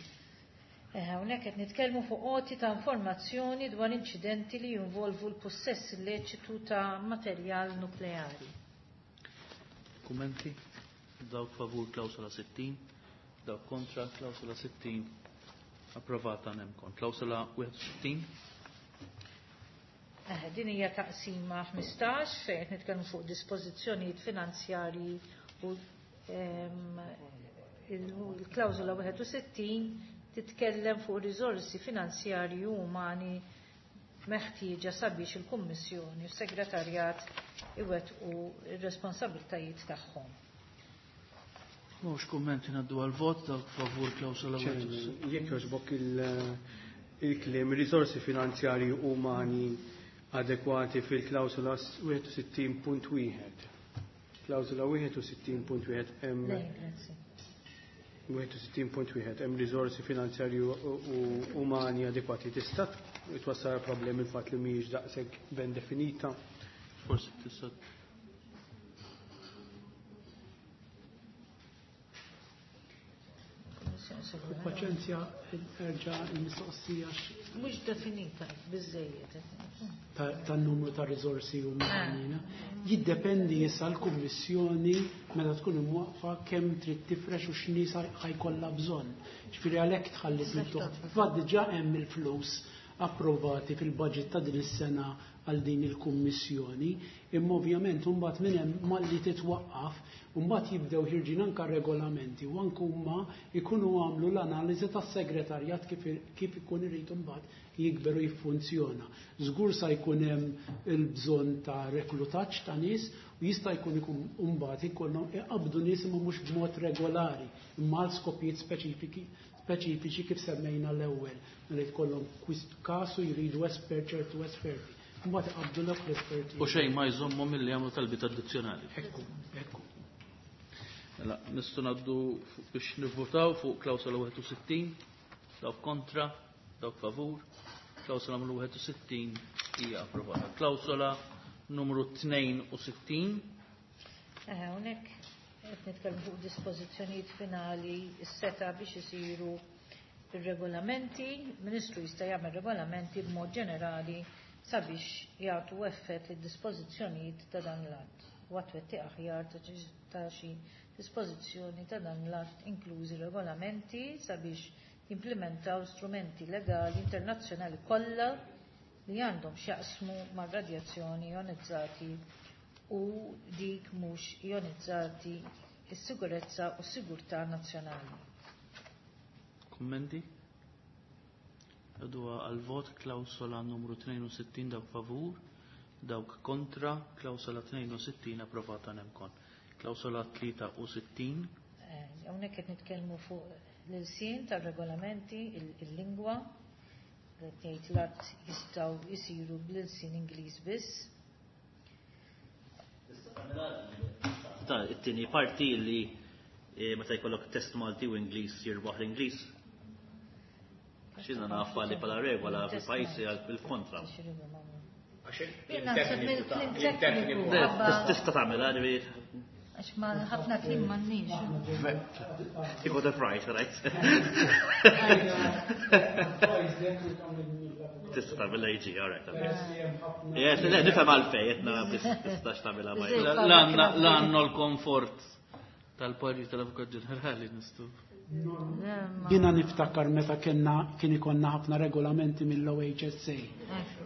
[SPEAKER 2] Hawnhekk qed nitkellmu fuq għoti ta' informazzjoni dwar inċidenti li jinvolvu l-pussess illeċitu ta' materjal nukleari.
[SPEAKER 1] Kummenti? Dawk favur klawsola 60? Dawk kontra klawsola 60 approvata nem kon. Klawsola 61?
[SPEAKER 2] Din hija taqsima 15 fejn qed nitkellmu fuq dispożizzjonijiet finanzjarji u il-klawżola 61 titkellem fuq riżorsi finanzjarji u umani meħtieġa sabiex il-Kummissjoni u s-Segretarjat iwettqu r-responsabbiltajiet tagħhom.
[SPEAKER 1] Mhux kummenti ngħaddu għal-vot dawk favur klawsola
[SPEAKER 3] Chairman, jekk jogħġbok il-kliem riżorsi finanzjarji umani adekwati fil-klawsola 61.1. Klawsola 61.1 hemm
[SPEAKER 2] Le, grazzi.
[SPEAKER 3] 61.1 hemm riżorsi finanzjarji u umani adekwati. Tista' twassal problemi il-fatt li mhijiex daqshekk ben definita.
[SPEAKER 1] Forsi tista'
[SPEAKER 4] Paċenzja, erġa' il-mistoqsija
[SPEAKER 2] Mhux definita biżejjed.
[SPEAKER 4] tan-numru ta' riżorsi umani. na? Jiddependi issa l-Kummissjoni meta tkun imwaqfa kemm trid tifrex u x'nies ħajkollha bżonn. Ġifieri għalhekk tħallis miftuħ. Fatt diġà hemm il-flus approvati fil-budget ta' din is-sena għal din il-kummissjoni, imma ovvjament imbagħad minn hemm malli titwaqqaf, imbagħad jibdew ħirġin anke regolamenti u anke huma jkunu għamlu l-analiżi tas-segretarjat kif ikun irid imbagħad jikber u jiffunzjona. Żgur sa jkun hemm il-bżonn ta' reklutaġġ ta' nies u jista' jkun ikun imbagħad ikollhom iqabdu nies imma mhux b'mod regolari, imma għal skopijiet speċifiċi kif semmejna l-ewwel, mela jkollhom kasu jridu espert ċertu esperti. Mbagħad iqabdu l esperti.
[SPEAKER 1] U xejn ma jżommhom milli jagħmlu talbiet addizzjonali.
[SPEAKER 4] Ekku, ekku.
[SPEAKER 1] Mela, nistgħu ngħaddu biex nivvutaw fuq klawsola 61, dawk kontra, dawk favur. Klawsola numru 61 hija approvata. Klawsola numru 62.
[SPEAKER 2] Hawnhekk qed nitkellmu fuq dispożizzjonijiet finali s-seta biex isiru ir-regolamenti. Ministru jista' jagħmel regolamenti b'mod ġenerali sabiex jagħtu effett lid-dispożizzjonijiet ta' dan l-att u għat-twettiq aħjar ta' xi dispożizzjoni ta' dan l-att inklużi regolamenti sabiex jimplementaw strumenti legali internazzjonali kollha li għandhom x'jaqsmu mar-radjazzjoni ionizzati u dik mhux ionizzati, is-sigurezza u s-sigurtà nazzjonali.
[SPEAKER 1] Kummenti? Għadu għal-vot klawsola numru 62 dawk favur, dawk kontra, klawsola 62 approvata nemkon. Klawsola 63.
[SPEAKER 2] Hawnhekk qed nitkellmu fuq l-ilsien tar-regolamenti, il-lingwa, qed jgħid l-att jistgħu jsiru bl-ilsien Ingliż biss.
[SPEAKER 5] Ta' it-tieni parti li meta jkollok test Malti u Ingliż jirbaħ l-Ingliż. X'inna nafa li bħala regola fil-pajjiżi għal bil-kontra.
[SPEAKER 2] Jien naħseb mill-kliem tekniku.
[SPEAKER 5] Tista' tagħmel, ġifieri.
[SPEAKER 2] Għax ma ħafna kliem m'għandniex.
[SPEAKER 5] You got that right, right? Tista' tagħmel AG, all right. Yes, nifhem għalfejn, qed nara tistax tagħmilha ma.
[SPEAKER 1] L-għandna l-komfort tal-parir tal-Avukat Ġenerali nistgħu.
[SPEAKER 4] Jiena niftakar meta kellna kien ikollna ħafna regolamenti mill-OHSA.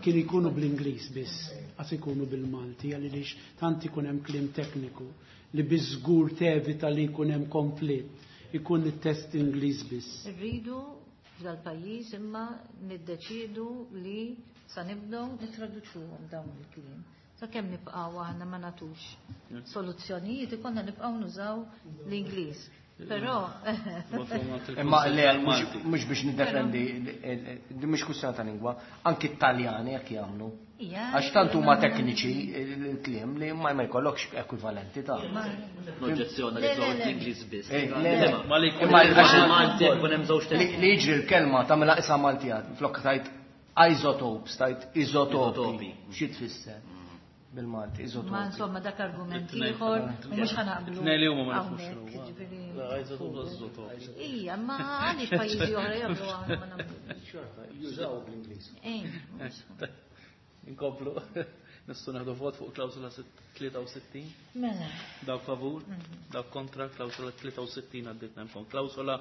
[SPEAKER 4] Kien ikunu bl-Ingliż biss, qas ikunu bil-Malti, għaliex tant ikun hemm kliem tekniku li biżgur tevita li jkun hemm konflitt, ikun it-test Ingliż biss.
[SPEAKER 2] Irridu f'dal-pajjiż imma niddeċiedu li sa nibdew nittraduċuhom dawn il-kliem. Sakemm nibqgħu aħna ma nagħtux soluzzjonijiet ikollna nibqgħu nużaw l-Ingliż. Però
[SPEAKER 7] Imma le mhux biex niddefendi di mhux kwistjoni ta' lingwa, anki t-Taljani jekk jagħmlu. Għax tant huma tekniċi l-kliem li ma jkollokx ekwivalenti ta'
[SPEAKER 5] L-oġġezzjoni li tużaw l-Ingliż biss.
[SPEAKER 7] Ma li jkun hemm żewġ Li jiġri l-kelma tagħmilha qisha Maltija, flok tajt isotopes, tajt isotopi. Xi tfisser? Bil-Malti, isotopi.
[SPEAKER 2] Ma insomma dak argument ieħor u mhux ħa naqblu.
[SPEAKER 1] Tnejn li huma ma nafux
[SPEAKER 2] hawnhekk,
[SPEAKER 1] x'inhu.
[SPEAKER 2] jiġifieri.
[SPEAKER 1] La, isotopi, isotopi.
[SPEAKER 2] Ija, ma għaliex pajjiżi oħra jagħmlu aħna ma nagħmlux.
[SPEAKER 3] Xorta, jużaw bl-Ingliż.
[SPEAKER 2] Ejn, mhux.
[SPEAKER 1] Inkomplu. Nistgħu nieħdu vot fuq klawsola 63.
[SPEAKER 2] Mela.
[SPEAKER 1] Dawk favur, dawk kontra, klawsola 63 għaddiet nemkom. Klawsola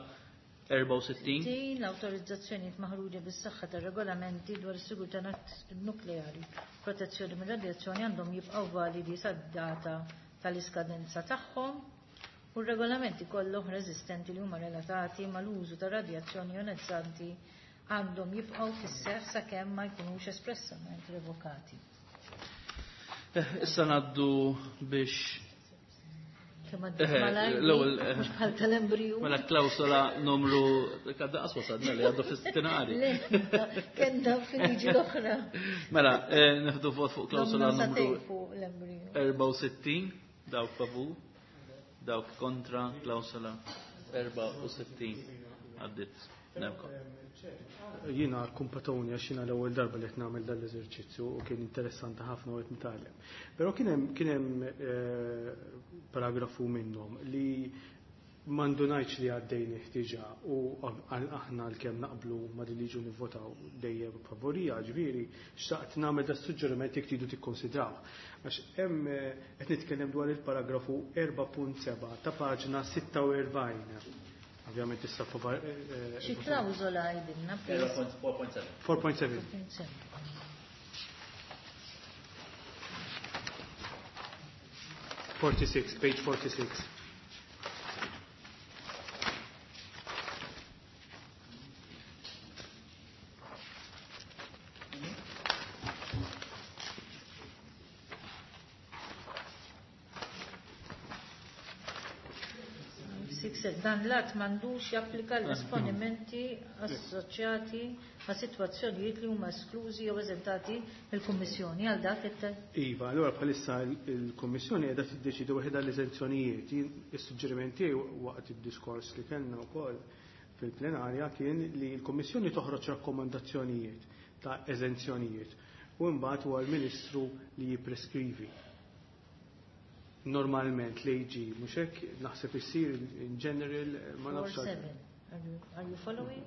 [SPEAKER 1] 64.
[SPEAKER 2] Din l-awtorizzazzjonijiet maħruġa bis-saħħa tar-regolamenti dwar is-sigurtà nukleari, protezzjoni mir-radjazzjoni għandhom jibqgħu validi sad-data tal-iskadenza tagħhom u r-regolamenti kollha oħra eżistenti li huma relatati mal-użu ta' radjazzjoni jonizzanti għandhom jibqgħu fis-seħħ sakemm ma jkunux espressament revokati.
[SPEAKER 1] Issa ngħaddu biex
[SPEAKER 2] Kemm għaddiet malajr,
[SPEAKER 1] l-ewwel,
[SPEAKER 2] mhux bħal tal-embriju.
[SPEAKER 1] Mela klawsola numru kadda qas wasalna li għaddu fis-stinari.
[SPEAKER 2] Le, kellna fil-liġi l-oħra.
[SPEAKER 1] Mela, nieħdu vot fuq klawsola
[SPEAKER 2] Domna
[SPEAKER 1] numru
[SPEAKER 2] satej fuq l-embriju.
[SPEAKER 1] 64, dawk favur, dawk kontra, klawsola 64 għaddit. Nemkom.
[SPEAKER 3] Jiena kumpatoni għax jiena l-ewwel darba li qed nagħmel dan l-eżerċizzju u kien interessanti ħafna u qed nitgħallem. Però kien hemm paragrafu minnhom li m'għandunajtx li għaddejn ħtiġa u aħna l-kemm naqblu ma din liġu nivvotaw dejjem favorija, ġifieri xtaqt nagħmel da suġġeriment jekk tridu tikkonsidraw. Għax hemm qed nitkellem dwar il-paragrafu 4.7 ta' paġna 46. Ovvjament issa
[SPEAKER 2] Xi klawżola għidilna, please?
[SPEAKER 5] 4.7.
[SPEAKER 3] 4.7. 46, page 46.
[SPEAKER 2] Dan l-att m'għandux japplika l-esponimenti assoċjati ma' sitwazzjonijiet li huma esklużi jew eżentati mill-Kummissjoni għal dak it
[SPEAKER 3] Iva, allura bħalissa il-Kummissjoni qiegħda tiddeċidi waħedha l-eżenzjonijiet. Jien is-suġġeriment tiegħi waqt id-diskors li kellna wkoll fil-plenarja kien li l-Kummissjoni toħroġ rakkomandazzjonijiet ta' eżenzjonijiet u mbagħad huwa l-Ministru li jippreskrivi. Normalment l-AG, mhux hekk naħseb issir in general, ma nafx
[SPEAKER 2] Four
[SPEAKER 3] għal-
[SPEAKER 2] seven. Are you following?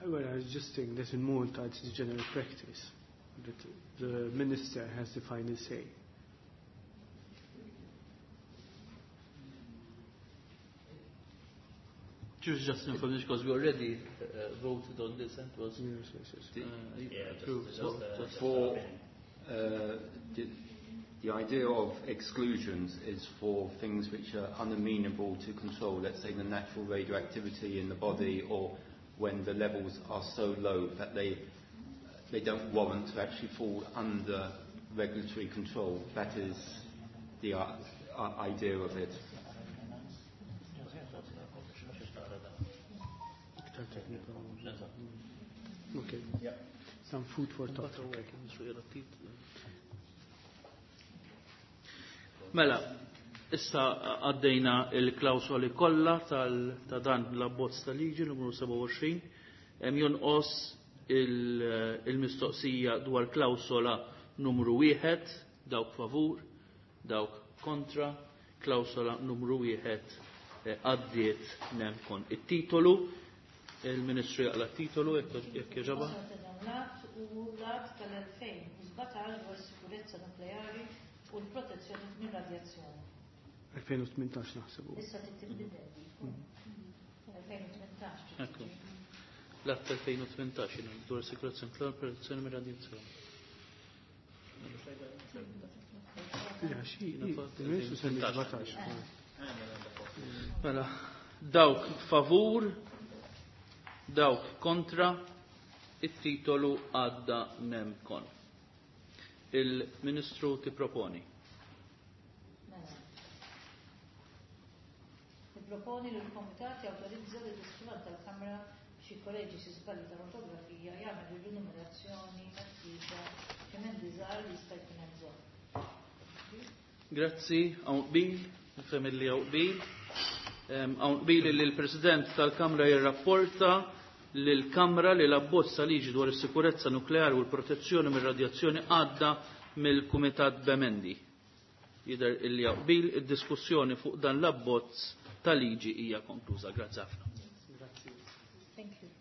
[SPEAKER 3] Well, I was just saying that in Malta it's the general practice that the minister has the final say.
[SPEAKER 1] Just information because we already voted on this and was
[SPEAKER 3] Yes, yes, yes.
[SPEAKER 5] Yeah,
[SPEAKER 1] approved. So
[SPEAKER 5] just
[SPEAKER 6] for, the idea of exclusions is for things which are unamenable to control, let's say the natural radioactivity in the body, or when the levels are so low that they they don't warrant to actually fall under regulatory control. That is the idea of it.
[SPEAKER 3] Okay. Some food for thought.
[SPEAKER 1] Mela, issa għaddejna il-klawsoli kollha ta' dan l-abbozz ta' liġi numru 27, hemm jonqos il-mistoqsija dwar klawsola numru 1, dawk favur, dawk kontra, klawsola numru 1 għaddiet nemkon. It-titolu, il-Ministru jaqla titolu jekk jogħġobha.
[SPEAKER 2] L-att u l-att tal-2017 dwar sikurezza nukleari u l-protezzjoni minn radjazzjoni.
[SPEAKER 3] 2018 naħsebu.
[SPEAKER 2] Issa titbidel. 2018.
[SPEAKER 1] Ekku. L-att 2018 dwar sikurezza nukleari u protezzjoni minn radjazzjoni.
[SPEAKER 3] Ja, xi, il-Ministru semmi 17.
[SPEAKER 1] Mela, dawk favur, dawk kontra, it-titolu għadda nemkon. Il-Ministru tipproponi.
[SPEAKER 2] Mela. Nipproponi li l-Komitat jawtorizza li l-istrument tal-Kamra biex jikkoreġi xi żbalji tal-ortografija jagħmel ir-rinumerazzjoni meħtieġa f'emendi żgħar li jista' jkun hemm bżonn.
[SPEAKER 1] Grazzi, hawn qbil, nifhem illi hawn qbil. Hawn qbil li l-President tal-Kamra jirrapporta lill-Kamra li l-abbozz ta' liġi dwar is-sikurezza nukleari u l-protezzjoni mir-radjazzjoni għadda mill-Kumitat b'emendi. Jidher illi hawn qbil, id-diskussjoni fuq dan l-abbozz ta' liġi hija konkluża. Grazzi ħafna.
[SPEAKER 2] Thank you.